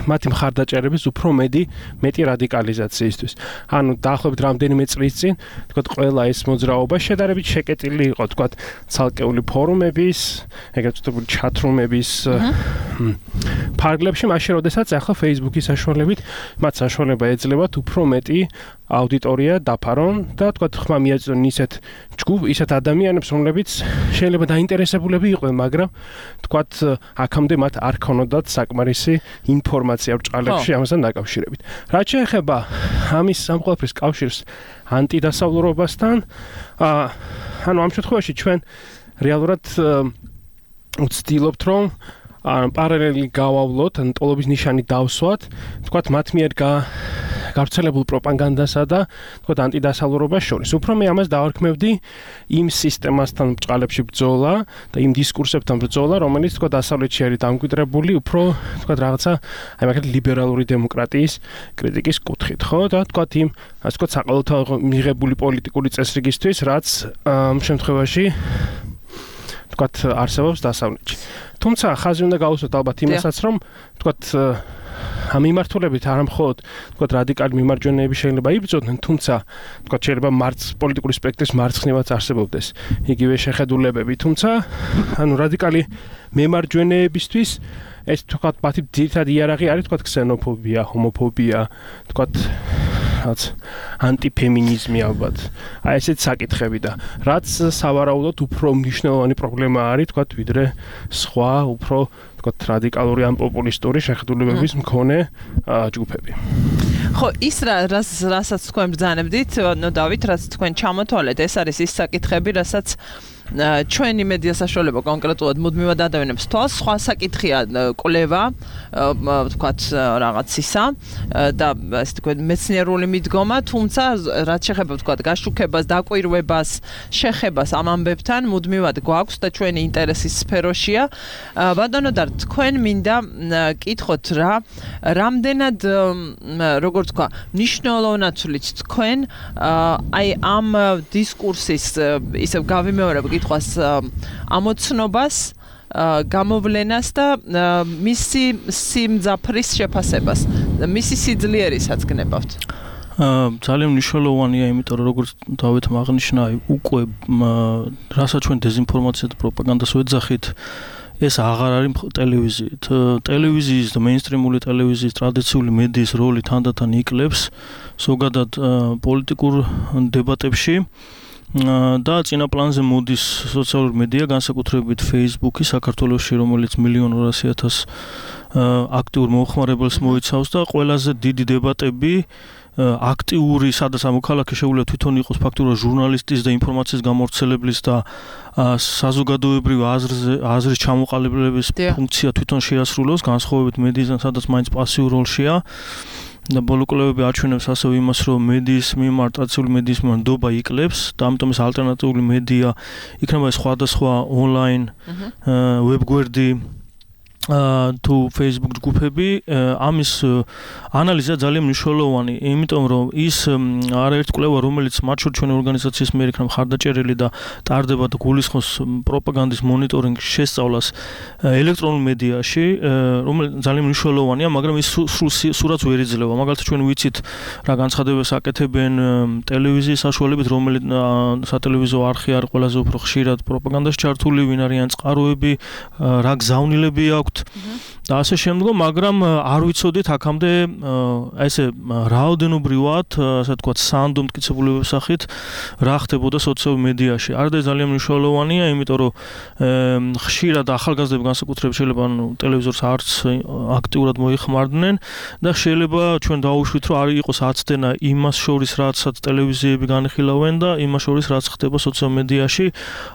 მათი მხარდაჭერების უფრო მეტი მეტი რადიკალიზაციისთვის. ანუ დაახლოებით რამდენიმე წლის წინ, თქვათ, ყველა ეს მოძრაობა შედარებით შეკეტილი იყო, თქვათ, ცალკეული ფორუმების, ეგრეთ წოდებული ჩათრუმების ფარგლებში, მაშინ როდესაც ახლა Facebook-ის საშუალებით მათ საშუალება ეძლევათ უფრო მეტი აუდიტორია დაფარონ და თქვათ, ხმა მიაწვდონ ისეთ ჯგუფ, ისეთ ადამიანებს, რომლებიც შეიძლება დაინტერესებულები იყვნენ, მაგრამ თქვათ, აქამდე მათ არ ქონოდათ საკმარისი ინფორმაცია ბრჭყალებში ამასთან დაკავშირებით. რაც შეეხება ამის ამ ყველაფრის კავშირს ანტიდასავლურობასთან, ანუ ამ შემთხვევაში ჩვენ რეალურად ვცდილობთ, რომ პარალელი გავავლოთ, ან ტოლობის ნიშანი დავსვათ, თქვათ, მათ მიერ გავრცელებულ პროპაგანდასა და თქვათ ანტიდასავლურობას შორის. უფრო მე ამას დავარქმევდი იმ სისტემასთან ბრჭყალებში ბრძოლა და იმ დისკურსებთან ბრძოლა, რომელიც თქვათ დასავლეთში არის დამკვიდრებული, უფრო თქვათ რაღაცა აი მაგალითად ლიბერალური დემოკრატიის კრიტიკის კუთხით, ხო? და თქვათ იმ ასე თქვათ საყოველთაო მიღებული პოლიტიკური წესრიგისთვის, რაც ამ შემთხვევაში თქვათ არსებობს დასავლეთში. თუმცა ხაზი უნდა გავუსვათ ალბათ იმასაც, რომ თქვათ ამ მიმართულებით არ მხოლოდ თქვათ რადიკალი მიმარჯვენეები შეიძლება იბრძოდნენ, თუმცა თქვათ შეიძლება მარც პოლიტიკური სპექტრის მარცხნივაც არსებობდეს იგივე შეხედულებები, თუმცა ანუ რადიკალი მემარჯვენეებისთვის ეს თქვათ მათი ძირითადი იარაღი არის თქვათ ქსენოფობია, ჰომოფობია, თქვათ რაც ანტიფემინიზმი ალბათ. აი ესეთ საკითხები და რაც სავარაუდოდ უფრო მნიშვნელოვანი პრობლემა არის თქვათ ვიდრე სხვა უფრო თქვათ რადიკალური ან პოპულისტური შეხედულებების მქონე ჯგუფები. ხო, ის რას რასაც თქვენ ბრძანებდით, ნო დავით, რაც თქვენ ჩამოთვალეთ, ეს არის ის საკითხები, რასაც ჩვენი მედია საშუალება კონკრეტულად მუდმივად ადავინებს თვალს. სხვა საკითხია კვლევა, ვთქვათ, რაღაცისა და ასე თქვენ მეცნიერული მიდგომა, თუმცა რაც შეეხება ვთქვათ გაშუქებას, დაკვირვებას, შეხებას ამ ამბებთან მუდმივად გვაქვს და ჩვენი ინტერესის სფეროშია. ბატონო და თქვენ მინდა კითხოთ რა, რამდენად როგორ თქვა, მნიშვნელოვნად თქვენ აი ამ დისკურსის ისევ გავიმეორებ კითხვას ამოცნობას, გამოვლენას და მისი სიმძაფრის შეფასებას, მისი სიძლიერისაც გნებავთ. ძალიან მნიშვნელოვანია, იმიტომ რომ როგორც დავითმა აღნიშნა, უკვე რასაც ჩვენ დეზინფორმაციას და პროპაგანდას ვეძახით, ეს აღარ არის ტელევიზიით. ტელევიზიის და მეინსტრიმული ტელევიზიის ტრადიციული მედიის როლი თანდათან იკლებს ზოგადად პოლიტიკურ დებატებში. და წინა პლანზე მოდის სოციალური მედია, განსაკუთრებით Facebook-ი საქართველოში, რომელიც მილიონ ორასი ათას აქტიურ მომხმარებელს მოიცავს და ყველაზე დიდი დებატები აქტიური, სადაც ამოქალაქე შეუძლია თვითონ იყოს ფაქტურად ჟურნალისტის და ინფორმაციის გამავრცელებლის და საზოგადოებრივ აზრზე აზრის ჩამოყალიბების ფუნქცია თვითონ შეასრულოს, განსხვავებით მედიისგან, სადაც მაინც პასიურ როლშია. და ბოლო კვლევები აჩვენებს ასევე იმას, რომ მედიის მიმართ, ტრადიციული მედიის მიმართ ნდობა იკლებს და ამიტომ ეს ალტერნატიული მედია იქნება სხვადასხვა ონლაინ ვებგვერდი თუ Facebook ჯგუფები, ამის ანალიზა ძალიან მნიშვნელოვანი, იმიტომ რომ ის არაერთი კვლევა, რომელიც მათ შორის ჩვენი ორგანიზაციის მიერ იქნება მხარდაჭერილი და ტარდება და გულისხმობს პროპაგანდის მონიტორინგ შესწავლას ელექტრონულ მედიაში, რომელიც ძალიან მნიშვნელოვანია, მაგრამ ის სურათს ვერ იძლევა. მაგალითად, ჩვენ ვიცით რა განცხადებებს აკეთებენ ტელევიზიის საშუალებით, რომელიც სატელევიზიო არხი არის ყველაზე უფრო ხშირად პროპაგანდაში ჩართული, ვინ არიან წყაროები, რა გზავნილები აქვთ და ასე შემდგომ, მაგრამ არ ვიცოდით აქამდე ესე რაოდენობრივად, ასე ვთქვათ, სანდო მტკიცებულებების სახით რა ხდებოდა სოციალურ მედიაში. არადა ძალიან მნიშვნელოვანია, იმიტომ რომ ხშირად ახალგაზრდები განსაკუთრებით შეიძლება ტელევიზორს არც აქტიურად მოიხმარდნენ და შეიძლება ჩვენ დავუშვით, რომ არ იყოს აცდენა იმას შორის, რაცაც ტელევიზიები განიხილავენ და იმას შორის, რაც ხდება სოციალურ მედიაში,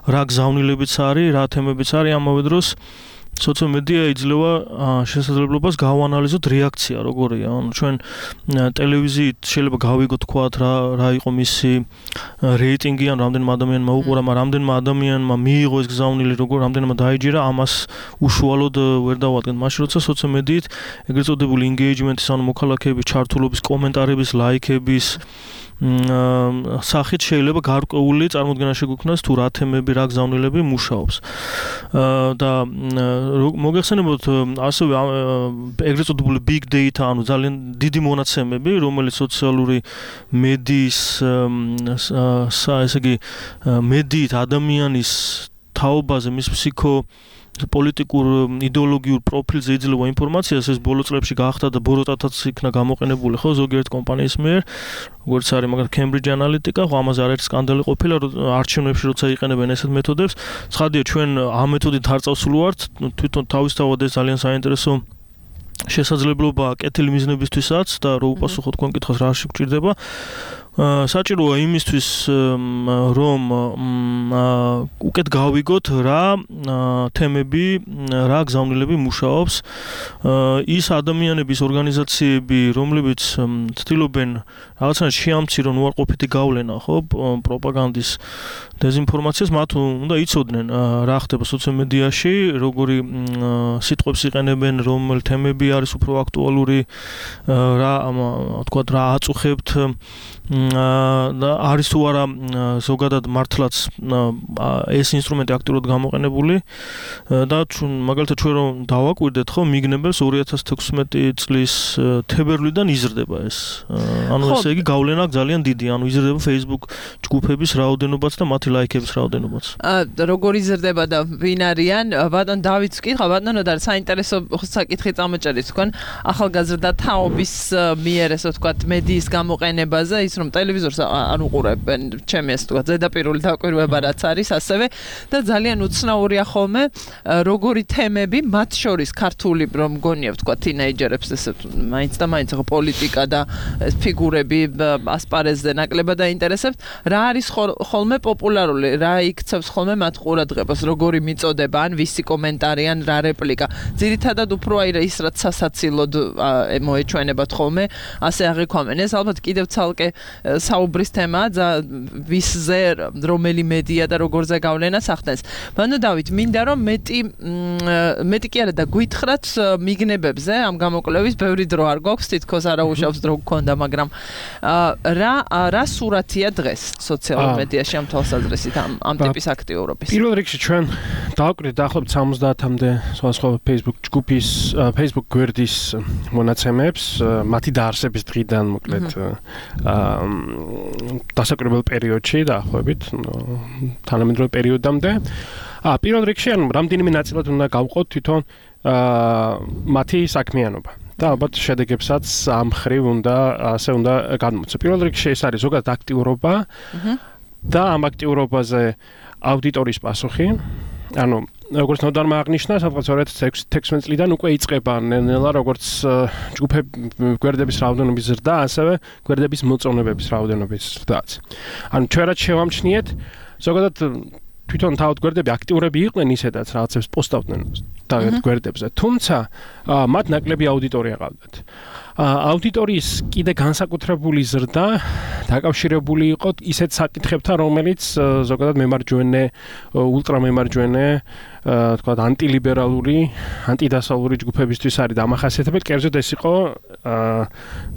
რა გზავნილებიც არის, რა თემებიც არის, ამავე დროს სოციალურ მედია იძლევა შესაძლებლობას გავანალიზოთ რეაქცია როგორია. ანუ ჩვენ ტელევიზიით შეიძლება გავიგოთ თქვათ რა რა იყო მისი რეიტინგი, ან რამდენმა ადამიანმა უყურა, მაგრამ რამდენმა ადამიანმა მიიღო ეს გზავნილი, როგორ რამდენმა დაიჯერა, ამას უშუალოდ ვერ დავადგენთ. მაშინ როცა სოციალურ მედიით ეგრეთ წოდებული engagement-ის, ანუ მოქალაქეების ჩართულობის, კომენტარების, ლაიქების სახით შეიძლება გარკვეული წარმოდგენა შეგვიქმნას თუ რა თემები, რა გზავნილები მუშაობს. და მოგეხსენებოდ ასევე ეგრეთ წოდებული big data, ანუ ძალიან დიდი მონაცემები, რომელიც სოციალური მედიის ესე იგი მედიით ადამიანის თაობაზე, მის ფსიქო პოლიტიკურ იდეოლოგიურ პროფილზე იძლევა ინფორმაციას, ეს ბოლო წლებში გაახდა და ბოროტათაც იქნა გამოყენებული, ხო, ზოგიერთ კომპანიის მიერ, როგორც არის მაგალითად Cambridge Analytica, ხო, ამაზე არაერთი სკანდალი ყოფილა, არჩევნებში როცა იყენებენ ესეთ მეთოდებს. ცხადია, ჩვენ ამ მეთოდით არ წავსული ვართ, თვითონ თავისთავად ეს ძალიან საინტერესო შესაძლებლობა კეთილი მიზნებისთვისაც და რო უპასუხოთ თქვენ კითხავს რა შეგვჭირდება. საჭიროა იმისთვის, რომ უკეთ გავიგოთ რა თემები, რა გზავნილები მუშაობს, ის ადამიანების, ორგანიზაციები, რომლებიც ცდილობენ რაღაცნაირად შეამცირონ უარყოფითი გავლენა, ხო, პროპაგანდის, დეზინფორმაციას, მათ უნდა იცოდნენ რა ხდება სოციალურ მედიაში, როგორი სიტყვებს იყენებენ, რომელ თემები არის უფრო აქტუალური, რა თქვათ რა აწუხებთ და არის თუ არა ზოგადად მართლაც ეს ინსტრუმენტი აქტიურად გამოყენებული და მაგალითად ჩვენ რომ დავაკვირდეთ, ხო, მიგნებებს ორი ათას თექვსმეტი წლის თებერვლიდან იზრდება ეს. ანუ ესე იგი გავლენა ძალიან დიდი, ანუ იზრდება Facebook ჯგუფების რაოდენობაც და მათი ლაიქების რაოდენობაც. როგორ იზრდება და ვინ არიან? ბატონ დავითს ვკითხა, ბატონო, და საინტერესო საკითხი წამოჭერით თქვენ ახალგაზრდა თაობის მიერ, ესე ვთქვათ, მედიის გამოყენებაზე, ის რომ ტელევიზორს არ უყურებენ, ჩემი ასე ვთქვათ, ზედაპირული დაკვირვება რაც არის, ასევე და ძალიან უცნაურია ხოლმე როგორი თემები, მათ შორის ქართული, რომ მგონია ვთქვათ, თინეიჯერებს ესე მაინც და მაინც ხო პოლიტიკა და ფიგურები ასპარეზზე ნაკლებად დაინტერესებს, რა არის ხოლმე პოპულარული, რა იქცევს ხოლმე მათ ყურადღებას, როგორი მიწოდება, ან ვისი კომენტარი, ან რა რეპლიკა. ძირითადად უფრო აი ის რაც სასაცილოდ მოეჩვენებათ ხოლმე, ასე აღიქვამენ. ეს ალბათ კიდევ ცალკე საუბრის თემაა, ვისზე რომელი მედია და როგორზე გავლენას ახდენს. ბანო დავით, მინდა რომ მეტი მეტი კი არა და გვითხრათ მიგნებებზე ამ გამოკვლევის, ბევრი დრო არ გვაქვს, თითქოს არაუშავს დრო გქონდა, მაგრამ რა რა სურათია დღეს სოციალურ მედიაში ამ თვალსაზრისით ამ ამ ტიპის აქტიურობის? პირველ რიგში ჩვენ დავაკვირდით დაახლოებით სამოცდაათამდე სხვადასხვა Facebook ჯგუფის, Facebook გვერდის მონაცემებს, მათი დაარსების დღიდან მოკლედ დასაკვირვებელ პერიოდში დაახლოებით თანამედროვე პერიოდამდე. აა პირველ რიგში ანუ რამდენიმე ნაწილად უნდა გავყოთ თვითონ აა მათი საქმიანობა. და ალბათ შედეგებსაც ამ ხრივ უნდა ასე უნდა გადმოცე. პირველ რიგში ეს არის ზოგადად აქტიურობა. და ამ აქტიურობაზე აუდიტორის პასუხი. ანუ როგორც ნოდარმა აღნიშნა, სადღაც ორი ათი თექვსმეტ წლიდან უკვე იწყება ნელა როგორც ჯგუფების გვერდების რაოდენობის ზრდა, ასევე გვერდების მოწონებების რაოდენობის ზრდაც. ანუ ჩვენ რაც შევამჩნიეთ, ზოგადად თვითონ თავად გვერდები აქტიურები იყვნენ ისედაც რაღაცებს პოსტავდნენ თავად გვერდებზე, თუმცა მათ ნაკლები აუდიტორია ყავდათ. აუდიტორიის კიდე განსაკუთრებული ზრდა დაკავშირებული იყო ისეთ საკითხებთან, რომელიც ზოგადად მემარჯვენე, ულტრამემარჯვენე, თქვათ ანტილიბერალური, ანტიდასავლური ჯგუფებისთვის არის დამახასიათებელი. კერძოდ ეს იყო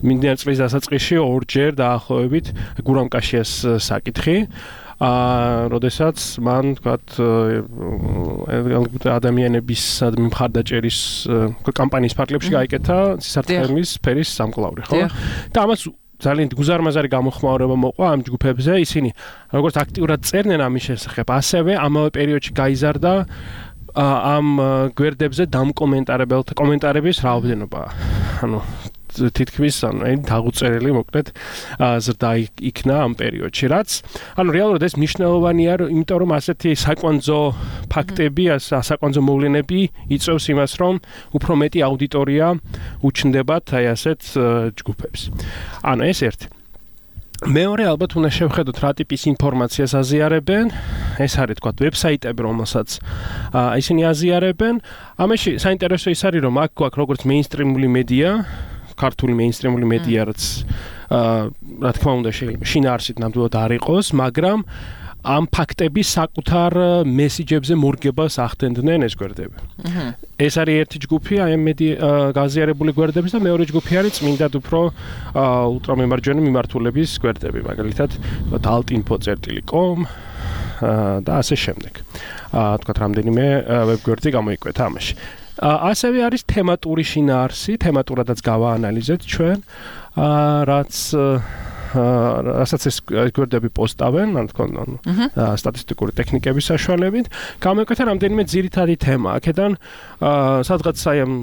მიმდინარე წლის დასაწყისში ორჯერ დაახლოებით გურამ კაშიას საკითხი. აა, როდესაც მან, თქვათ, ადამიანების მხარდაჭერის კამპანიის ფარგლებში გაიკეთა სისარტყელის სფერის სამკლავრი, ხო? და ამას ძალიან გუზარმაზარი გამოხმაურება მოყვა ამ ჯგუფებზე, ისინი როგორც აქტიურად წერდნენ ამის შესახებ, ასევე ამავე პერიოდში გაიზარდა ამ გვერდებზე დამკომენტარებელთა კომენტარების რაოდენობა. ანუ თითქმის ანუ დაღუწერელი მოკლედ ზრდა იქნა ამ პერიოდში, რაც ანუ რეალურად ეს მნიშვნელოვანია, იმიტომ რომ ასეთი საკვანძო ფაქტები, საკვანძო მოვლენები იწვევს იმას, რომ უფრო მეტი აუდიტორია უჩნდებათ აი ასეთ ჯგუფებს. ანუ ეს ერთი. მეორე ალბათ უნდა შევხედოთ რა ტიპის ინფორმაციას აზიარებენ. ეს არის თქვა ვებსაიტები, რომელსაც ისინი აზიარებენ. ამაში საინტერესო ის არის, რომ აქ გვაქვს როგორც მეინსტრიმული მედია, ქართული მეინსტრიმული მედია, რაც რა თქმა უნდა შეიძლება შინაარსით ნამდვილად არ იყოს, მაგრამ ამ ფაქტების საკუთარ მესიჯებზე მორგებას ახდენდნენ ეს გვერდები. ეს არის ერთი ჯგუფი, აი ამ მედია გაზიარებული გვერდების და მეორე ჯგუფი არის წმინდად უფრო ულტრამემარჯვენე მიმართულების გვერდები, მაგალითად altinfo წერტილი com და ასე შემდეგ. თქვათ რამდენიმე ვებგვერდი გამოიკვეთა ამაში. ასევე არის თემატური შინაარსი, თემატურადაც გავაანალიზეთ ჩვენ, რაც რასაც ეს გვერდები პოსტავენ, ან თქო, სტატისტიკური ტექნიკების საშუალებით, გამოიკვეთა რამდენიმე ძირითადი თემა. აქედან სადღაც აი ამ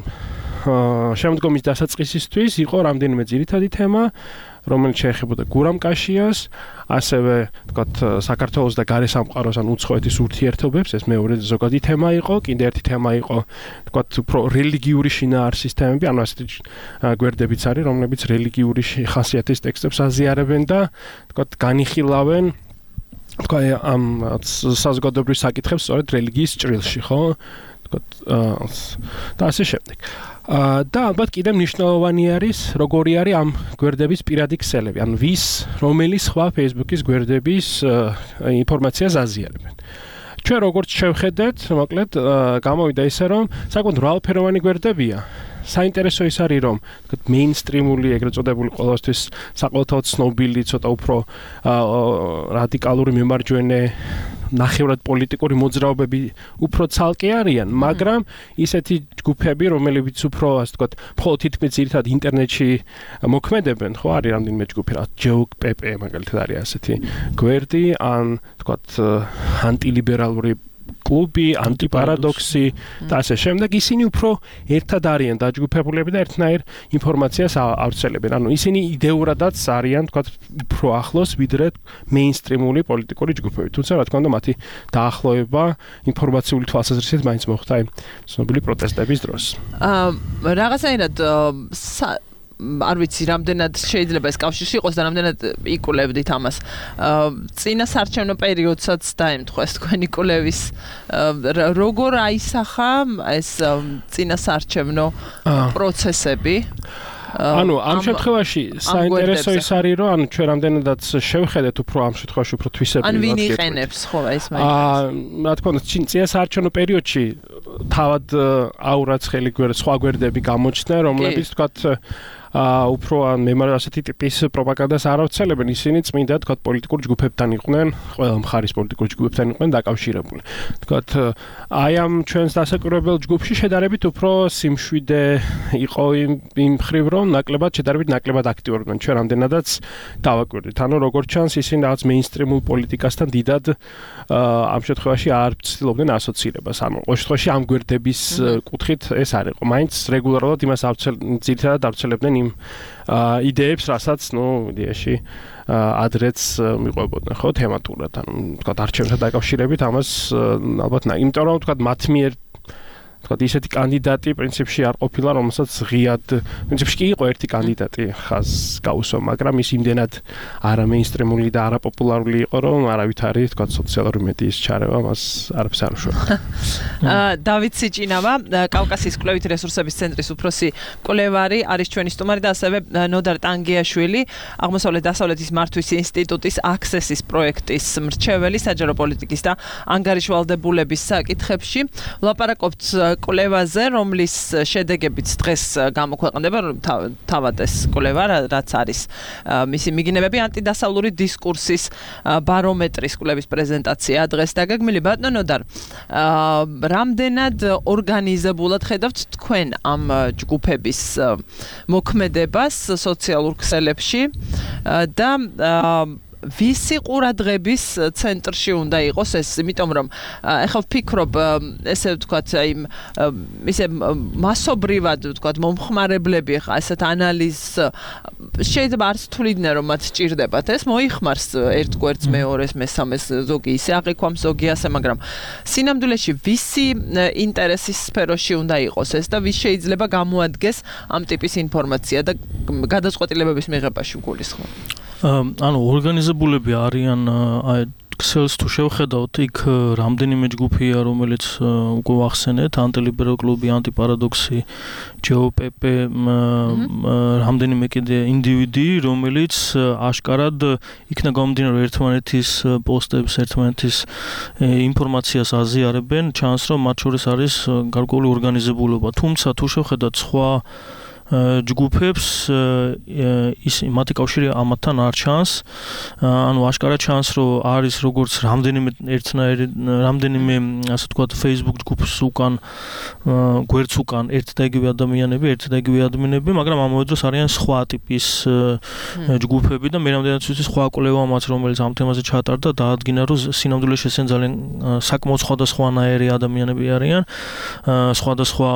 შემდგომის დასაწყისისთვის იყო რამდენიმე ძირითადი თემა, რომელიც შეეხებოდა გურამ კაშიას, ასევე თქვათ საქართველოს და გარე სამყაროს ან უცხოეთის ურთიერთობებს, ეს მეორე ზოგადი თემა იყო, კიდე ერთი თემა იყო, თქვათ უფრო რელიგიური შინაარსის თემები, ანუ ასეთი გვერდებიც არის, რომლებიც რელიგიური ხასიათის ტექსტებს აზიარებენ და თქვათ განიხილავენ თქვა ამ საზოგადოებრივ საკითხებს სწორედ რელიგიის ჭრილში, ხო? თქვათ და ასე შემდეგ. და ალბათ კიდე მნიშვნელოვანი არის, როგორი არის ამ გვერდების პირადი ქსელები, ანუ ვის, რომელი სხვა Facebook-ის გვერდების ინფორმაციას აზიარებენ. ჩვენ როგორც შევხედეთ, მოკლედ გამოვიდა ისე, რომ საკმაოდ მრავალფეროვანი გვერდებია. საინტერესო ის არის, რომ თქვათ მეინსტრიმული, ეგრეთ წოდებული ყოველთვის საყოველთაოდ ცნობილი, ცოტა უფრო რადიკალური მემარჯვენე ნახევრად პოლიტიკური მოძრაობები უფრო ცალკე არიან, მაგრამ ისეთი ჯგუფები, რომლებიც უფრო, ასე ვთქვათ, მხოლოდ თითქმის ძირითადად ინტერნეტში მოქმედებენ, ხო, არის რამდენიმე ჯგუფი, რა ჯეოკ.პპ მაგალითად არის ასეთი გვერდი, ან ვთქვათ, ანტილიბერალური კლუბი, ანტიპარადოქსი და ასე შემდეგ, ისინი უფრო ერთად არიან დაჯგუფებულები და ერთნაირ ინფორმაციას ავრცელებენ. ანუ ისინი იდეურადაც არიან, თქვათ, უფრო ახლოს ვიდრე მეინსტრიმული პოლიტიკური ჯგუფები. თუმცა, რა თქმა უნდა, მათი დაახლოება ინფორმაციული თვალსაზრისით მაინც მოხდა აი ცნობილი პროტესტების დროს. აა რაღაცაირად არ ვიცი, რამდენად შეიძლება ეს კავშირში იყოს და რამდენად იკულებდით ამას. წინა საარჩევნო პერიოდსაც დაემთხვეს თქვენი კულევის როგორ აისახა ეს წინა საარჩევნო პროცესები? ანუ ამ შემთხვევაში საინტერესო ის არის, რომ ანუ ჩვენ რამდენადაც შევხედეთ უფრო ამ შემთხვევაში უფრო თვისებრივად. ან ვინ იყენებს ხო ეს მაინც? აა, რა თქმა უნდა, წინა საარჩევნო პერიოდში თავად აურაცხელი გვერდი, სხვა გვერდები გამოჩნდნენ, რომლებიც თქვათ აა უფრო ან მემარ ასეთი ტიპის პროპაგანდას არ ავრცელებენ, ისინი წმინდა თქვათ პოლიტიკურ ჯგუფებთან იყვნენ, ყველა მხარის პოლიტიკურ ჯგუფებთან იყვნენ დაკავშირებული. თქვათ აი ამ ჩვენს დასაკვირვებელ ჯგუფში შედარებით უფრო სიმშვიდე იყო იმ იმ მხრივ, რომ ნაკლებად შედარებით ნაკლებად აქტიურობდნენ. ჩვენ რამდენადაც დავაკვირდით. ანუ როგორც ჩანს, ისინი რაღაც მეინსტრიმულ პოლიტიკასთან დიდად ამ შემთხვევაში არ ცდილობდნენ ასოცირებას. ანუ ყოველ შემთხვევაში ამ გვერდების კუთხით ეს არ იყო. მაინც რეგულარულად იმას ძირითადად ავრცელებდნენ იმ იმ იდეებს, რასაც, ნუ, იდეაში ადრეც მიყვებოდნენ, ხო, თემატურად, ანუ თქვა არჩევნებთან დაკავშირებით ამას ალბათ, იმიტომ რომ თქვა მათ მიერ თქვა ისეთი კანდიდატი პრინციპში არ ყოფილა, რომელსაც ღიად პრინციპში კი იყო ერთი კანდიდატი ხაზ გაუსვა, მაგრამ ის იმდენად არა მეინსტრიმული და არა პოპულარული იყო, რომ არავითარი თქვა სოციალური მედიის ჩარევა მას არაფერს არ უშუალდა. დავით სიჭინავა, კავკასიის კვლევით რესურსების ცენტრის უფროსი მკვლევარი არის ჩვენი სტუმარი და ასევე ნოდარ ტანგიაშვილი, აღმოსავლეთ დასავლეთის მართვის ინსტიტუტის აქსესის პროექტის მრჩეველი საჯარო პოლიტიკის და ანგარიშვალდებულების საკითხებში. ვლაპარაკობთ კვლევაზე, რომლის შედეგებიც დღეს გამოქვეყნდება, თავად ეს კვლევა, რაც არის მისი მიგინებები ანტიდასავლური დისკურსის ბარომეტრის კვლევის პრეზენტაცია დღეს დაგეგმილი. ბატონო ნოდარ, რამდენად ორგანიზებულად ხედავთ თქვენ ამ ჯგუფების მოქმედებას სოციალურ ქსელებში და ვისი ყურადღების ცენტრში უნდა იყოს ეს, იმიტომ რომ ეხლა ვფიქრობ, ესე ვთქვათ, აი ისე მასობრივად ვთქვათ, მომხმარებლები ხა ესეთ ანალიზს შეიძლება არც თuliდნენ რომ მათ სჭირდებათ ეს, მოიხმარს ერთ გვერდს, მეორეს, მესამეს, ზოგი ისე აღიქვამს, ზოგი ასე, მაგრამ სინამდვილეში ვისი ინტერესის სფეროში უნდა იყოს ეს და ვის შეიძლება გამოადგეს ამ ტიპის ინფორმაცია და გადაწყვეტილებების მიღებაში გულისხმობ. ანუ ორგანიზებულები არიან აი ქსელს თუ შევხედავთ, იქ რამდენიმე ჯგუფია, რომელიც უკვე ვახსენეთ, ანტილიბერალ კლუბი, ანტიპარადოქსი, ჯეოპეპე, რამდენიმე კიდე ინდივიდი, რომელიც აშკარად იქნა გამომდინარე ერთმანეთის პოსტებს, ერთმანეთის ინფორმაციას აზიარებენ, ჩანს რომ მათ შორის არის გარკვეული ორგანიზებულობა. თუმცა თუ შევხედავთ სხვა ჯგუფებს, ის მათი კავშირი ამათთან არ ჩანს, ანუ აშკარად ჩანს, რომ არის როგორც რამდენიმე ერთნაირი, რამდენიმე ასე ვთქვათ Facebook ჯგუფს უკან, გვერდს უკან ერთ და იგივე ადამიანები, ერთ და იგივე ადმინები, მაგრამ ამავე დროს არიან სხვა ტიპის ჯგუფები და მე რამდენად ვიცი სხვა კვლევამაც, რომელიც ამ თემაზე ჩატარდა, დაადგინა, რომ სინამდვილეში ესენ ძალიან საკმაოდ სხვადასხვანაირი ადამიანები არიან, სხვადასხვა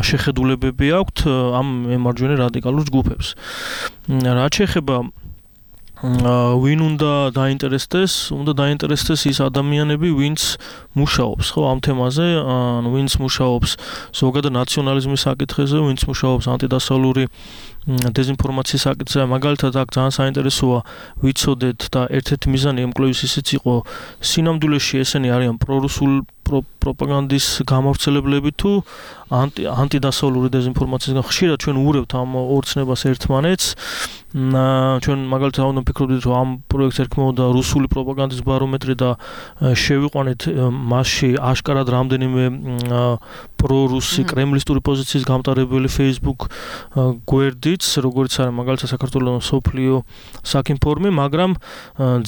შეხედულებები აქვთ ამ მემარჯვენე რადიკალურ ჯგუფებს. რაც შეეხება ვინ უნდა დაინტერესდეს, უნდა დაინტერესდეს ის ადამიანები, ვინც მუშაობს, ხო, ამ თემაზე, ანუ ვინც მუშაობს ზოგადად ნაციონალიზმის საკითხებზე, ვინც მუშაობს ანტიდასავლური დეზინფორმაციის საკითხზე, მაგალითად აქ ძალიან საინტერესოა ვიცოდეთ და ერთ-ერთი მიზანი ამ კვლევის ისიც იყო, სინამდვილეში ესენი არიან პრორუსულ პროპაგანდის გამავრცელებლები თუ ანტი ანტიდასავლური დეზინფორმაციისგან. ხშირად ჩვენ უურევთ ამ ორ ცნებას ერთმანეთს. ჩვენ მაგალითად უნდა ვფიქრობდით, რომ ამ პროექტს ერქმეოდა რუსული პროპაგანდის ბარომეტრი და შევიყვანეთ მასში აშკარად რამდენიმე პრორუსი კრემლისტური პოზიციის გამტარებელი Facebook გვერდიც, როგორც არის მაგალითად საქართველოს სოფლიო საქინფორმი, მაგრამ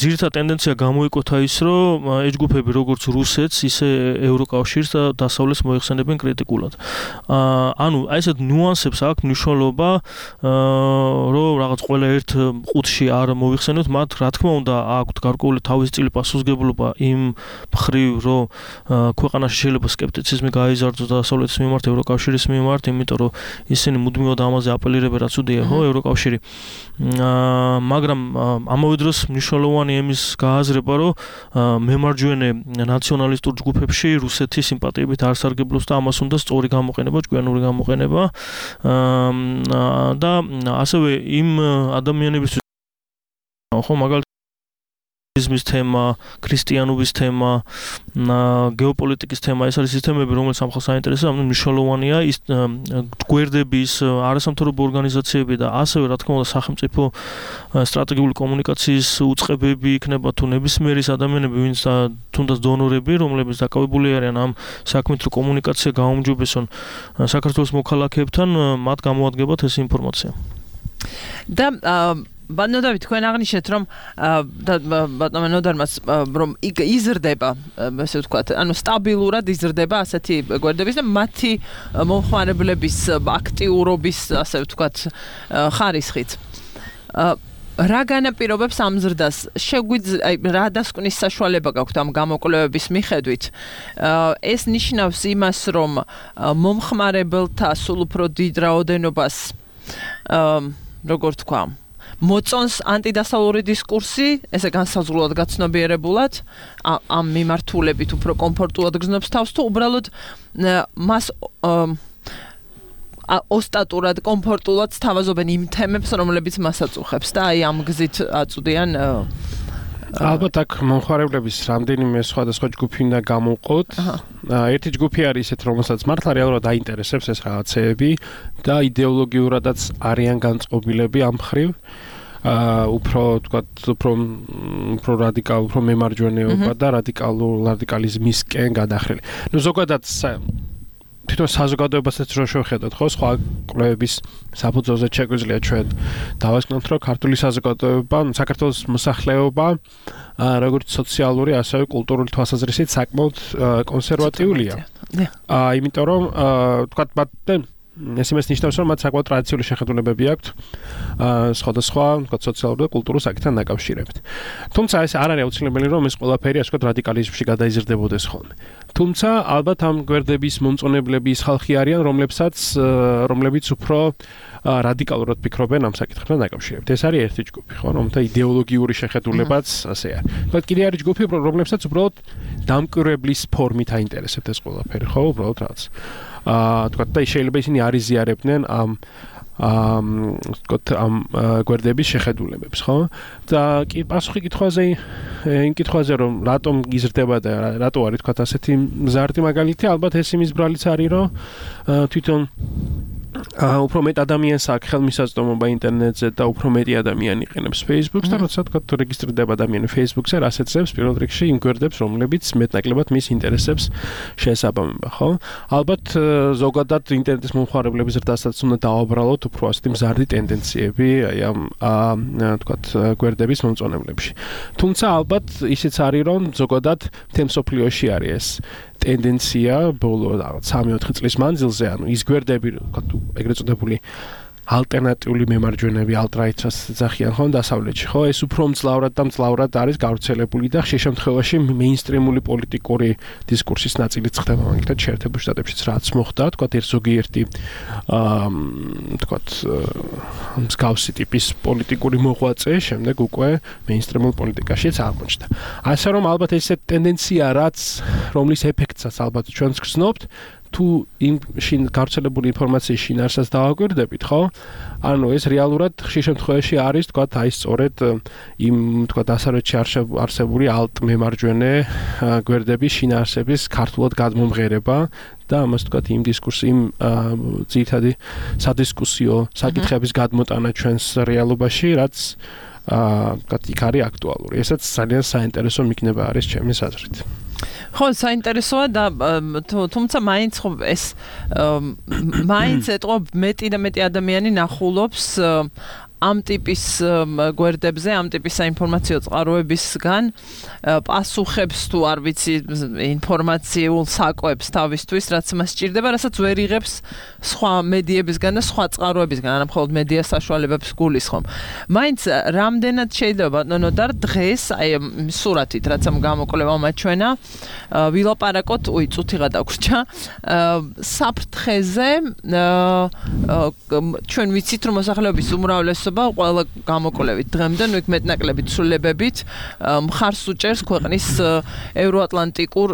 ძირითადი ტენდენცია გამოიკვეთა ის, რომ ეს ჯგუფები როგორც რუსეთს, ისე ევროკავშირს და დასავლეთს მოიხსენებენ კრიტიკულად. ანუ აი ესეთ ნუანსებს აქვს მნიშვნელობა, რომ რაღაც ყველა ერთ ყუთში არ მოიხსენოთ, მათ რა თქმა უნდა აქვთ გარკვეული თავისი წილი პასუხისმგებლობა იმ მხრივ, რომ ქვეყანაში შეიძლება სკეპტიციზმი გაიზარდოს დასავლეთის მიმართ, ევროკავშირის მიმართ, იმიტომ რომ ისინი მუდმივად ამაზე აპელირებენ, რაც უდია, ხო, ევროკავშირი. მაგრამ ამავე დროს მნიშვნელოვანი იმის გააზრება, რომ მემარჯვენე ნაციონალისტურ ჯგუფებში რუსეთის სიმპათიებით არ სარგებლობს და ამას უნდა სწორი გამოყენება, ჭკვიანური გამოყენება და ასევე იმ ადამიანებისთვის, ხო, მაგალითად იზმის თემა, ქრისტიანობის თემა, გეოპოლიტიკის თემა, ეს არის ის თემები, რომელიც ამ ხალხს აინტერესებს, ანუ მნიშვნელოვანია ის გვერდების, არასამთავრობო ორგანიზაციები და ასევე, რა თქმა უნდა, სახელმწიფო სტრატეგიული კომუნიკაციის უწყებები იქნება თუ ნებისმიერი ადამიანები, ვინც თუნდაც დონორები, რომლებიც დაკავებული არიან ამ საქმით, რომ კომუნიკაცია გაუმჯობესონ საქართველოს მოქალაქეებთან, მათ გამოადგებათ ეს ინფორმაცია. და ბატონო დავით, თქვენ აღნიშნეთ, რომ ბატონო ნოდარმაც რომ იზრდება, ასე ვთქვათ, ანუ სტაბილურად იზრდება ასეთი გვერდების და მათი მომხმარებლების აქტიურობის, ასე ვთქვათ, ხარისხით. რა განაპირობებს ამ ზრდას? შეგვიძლია, აი, რა დასკვნის საშუალება გაქვთ ამ გამოკვლევების მიხედვით? ეს ნიშნავს იმას, რომ მომხმარებელთა სულ უფრო დიდ რაოდენობას როგორ თქვა, მოწონს ანტიდასავლური დისკურსი, ესე განსაზღვრულად გაცნობიერებულად, ამ მიმართულებით უფრო კომფორტულად გრძნობს თავს თუ უბრალოდ მას ოსტატურად, კომფორტულად სთავაზობენ იმ თემებს, რომლებიც მას აწუხებს და აი ამ გზით აწვდიან ალბათ აქ მომხმარებლების რამდენიმე სხვადასხვა ჯგუფი უნდა გამოვყოთ. ერთი ჯგუფი არის ისეთ, რომელსაც მართლა რეალურად აინტერესებს ეს რაღაცეები და იდეოლოგიურადაც არიან განწყობილები ამ მხრივ. აა უფრო თქვათ, უფრო უფრო რადიკალ, უფრო მემარჯვენეობა და რადიკალურ რადიკალიზმისკენ გადახრილი. ნუ ზოგადად თვითონ საზოგადოებასაც რო შევხედოთ, ხო, სხვა კვლევების საფუძველზე შეგვიძლია ჩვენ დავასკვნოთ, რომ ქართული საზოგადოება, საქართველოს მოსახლეობა, როგორც სოციალური, ასევე კულტურული თვალსაზრისით საკმაოდ კონსერვატიულია. აა, იმიტომ რომ თქვათ, მათ ეს იმას ნიშნავს, რომ მათ საკმაოდ ტრადიციული შეხედულებები აქვთ სხვადასხვა თქვათ სოციალურ და კულტურულ საკითხთან დაკავშირებით. თუმცა ეს არ არის აუცილებელი, რომ ეს ყველაფერი ასე ვთქვათ რადიკალიზმში გადაიზრდებოდეს ხოლმე. თუმცა ალბათ ამ გვერდების მომწონებლები ის ხალხი არიან, რომლებსაც რომლებიც უფრო რადიკალურად ფიქრობენ ამ საკითხთან დაკავშირებით. ეს არის ერთი ჯგუფი, ხო, რომელთა იდეოლოგიური შეხედულებაც ასე არის. բայց კიდე არის ჯგუფი, რომლებსაც უბრალოდ დამკვირვებლის ფორმით აინტერესებთ ეს ყველაფერი, ხო, უბრალოდ რაღაც აა თქვათ და შეიძლება ისინი არ იზიარებდნენ ამ ამ თქვათ ამ გვერდების შეხედულებებს, ხო? და კი პასუხი კითხვაზე იმ კითხვაზე რომ რატომ იზრდება და რატო არის თქვათ ასეთი მზარდი მაგალითი, ალბათ ეს იმის ბრალიც არის, რომ თვითონ აა უფრო მეტ ადამიანს აქვს ხელმისაწვდომობა ინტერნეტზე და უფრო მეტი ადამიანი იყენებს Facebook-ს და როცა თქვა რეგისტრირდება ადამიანი Facebook-ზე, ასეთებს პირველ რიგში იმ გვერდებს, რომლებიც მეტნაკლებად მის ინტერესებს შეესაბამება, ხო? ალბათ ზოგადად ინტერნეტის მომხმარებლების ზრდასაც უნდა დავაბრალოთ უფრო ასეთი მზარდი ტენდენციები აი ამ თქვა გვერდების მომწონებლებში. თუმცა ალბათ ისიც არის, რომ ზოგადად მთელ მსოფლიოში არის ეს ტენდენცია ბოლო სამი ოთხი წლის მანძილზე, ანუ ის გვერდები, ეგრეთ წოდებული ალტერნატიული მემარჯვენეები, ალტრაიტს ძახიან ხო დასავლეთში, ხო? ეს უფრო მძლავრად და მძლავრად არის გავრცელებული და ხშირ შემთხვევაში მეინსტრიმული პოლიტიკური დისკურსის ნაწილიც ხდება, მაგალითად შეერთებულ შტატებშიც რაც მოხდა, თქვა ერთ ზოგიერთი აა თქვა მსგავსი ტიპის პოლიტიკური მოღვაწე შემდეგ უკვე მეინსტრიმულ პოლიტიკაშიც აღმოჩნდა. ასე რომ ალბათ ეს ტენდენცია რაც რომლის ეფექტსაც ალბათ ჩვენც გრძნობთ, თუ იმ შინ გავრცელებული ინფორმაციის შინაარსას დავაკვირდებით, ხო? ანუ ეს რეალურად ხშირ შემთხვევაში არის, თქვათ, აი სწორედ იმ, თქვათ, დასავლეთში არსებული ალტ მემარჯვენე გვერდების შინაარსების ქართულად გადმომღერება და ამას თქვათ იმ დისკურსი, იმ ძირითადი სადისკუსიო საკითხების გადმოტანა ჩვენს რეალობაში, რაც აა, თქვათ, იქ არის აქტუალური. ესაც ძალიან საინტერესო მიგნება არის ჩემის აზრით. ხო, საინტერესოა და თუმცა მაინც ხო ეს მაინც ეტყვა მეტი და მეტი ადამიანი ნახულობს ამ ტიპის გვერდებზე, ამ ტიპის საინფორმაციო წყაროებისგან პასუხებს თუ არ ვიცი ინფორმაციულ საკვებს თავისთვის, რაც მას სჭირდება, რასაც ვერ იღებს სხვა მედიებისგან და სხვა წყაროებისგან, არა მხოლოდ მედია საშუალებებს გულისხმობ. მაინც რამდენად შეიძლება ნონოდარ დღეს აი სურათით, რაც ამ გამოკვლევა მაჩვენა, ვილაპარაკოთ, უი, წუთიღა დაგვრჩა, საფრთხეზე ჩვენ ვიცით, რომ მოსახლეობის უმრავლესობა ყველა გამოკვლევით დღემდე, ნუ იქ მეტნაკლებით ცვლილებებით მხარს უჭერს ქვეყნის ევროატლანტიკურ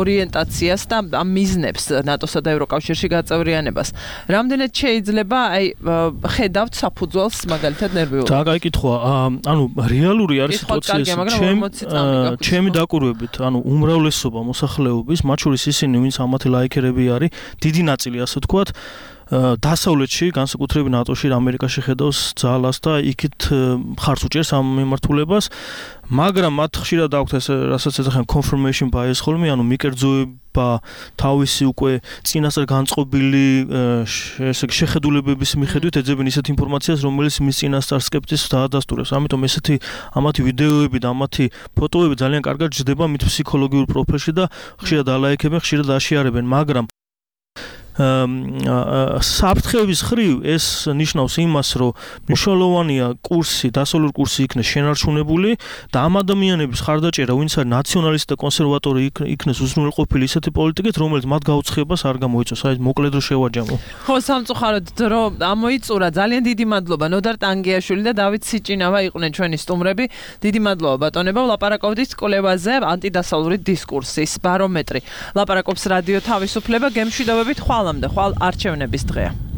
ორიენტაციას და ამ მიზნებს ნატოსა და ევროკავშირში გაწევრიანებას. რამდენად შეიძლება აი ხედავთ საფუძველს მაგალითად ნერვიულად? და კაი კითხვა, ანუ რეალური არის სიტუაცია, ჩემი დაკვირვებით, ანუ უმრავლესობა მოსახლეობის, მათ შორის ისინი, ვინც ამათი ლაიქერები არის, დიდი ნაწილი ასე ვთქვათ, დასავლეთში, განსაკუთრებით ნატოში, ამერიკაში ხედავს ძალას და იქით მხარს უჭერს ამ მიმართულებას, მაგრამ მათ ხშირად აქვთ ეს, რასაც ეძახიან confirmation bias ხოლმე, ანუ მიკერძოება თავისი უკვე წინასწარ განწყობილი ესე იგი შეხედულებების მიხედვით ეძებენ ისეთ ინფორმაციას, რომელიც მის წინასწარ სკეპტიზმს დაადასტურებს. ამიტომ ესეთი ამათი ვიდეოები და ამათი ფოტოები ძალიან კარგად ჯდება მით ფსიქოლოგიურ პროფილში და ხშირად ალაიქებენ, ხშირად აშიარებენ, მაგრამ საფრთხების ხრივ ეს ნიშნავს იმას, რომ მნიშვნელოვანია კურსი, დასავლური კურსი იქნეს შენარჩუნებული და ამ ადამიანების ხარდაჭერა, ვინც არის ნაციონალისტი და კონსერვატორი იქნეს უზრუნველყოფილი ისეთი პოლიტიკით, რომელიც მათ გაუცხებას არ გამოიწვევს. აი მოკლედ რომ შევაჯამო. ხო, სამწუხაროდ დრო ამოიწურა. ძალიან დიდი მადლობა ნოდარ ტანგიაშვილი და დავით სიჭინავა იყვნენ ჩვენი სტუმრები. დიდი მადლობა ბატონებო, ლაპარაკობდით კვლევაზე ანტიდასავლური დისკურსის ბარომეტრი. ლაპარაკობს რადიო თავისუფლება, გემშვიდობებით ხვალამდე, ხვალ არჩევნების დღეა.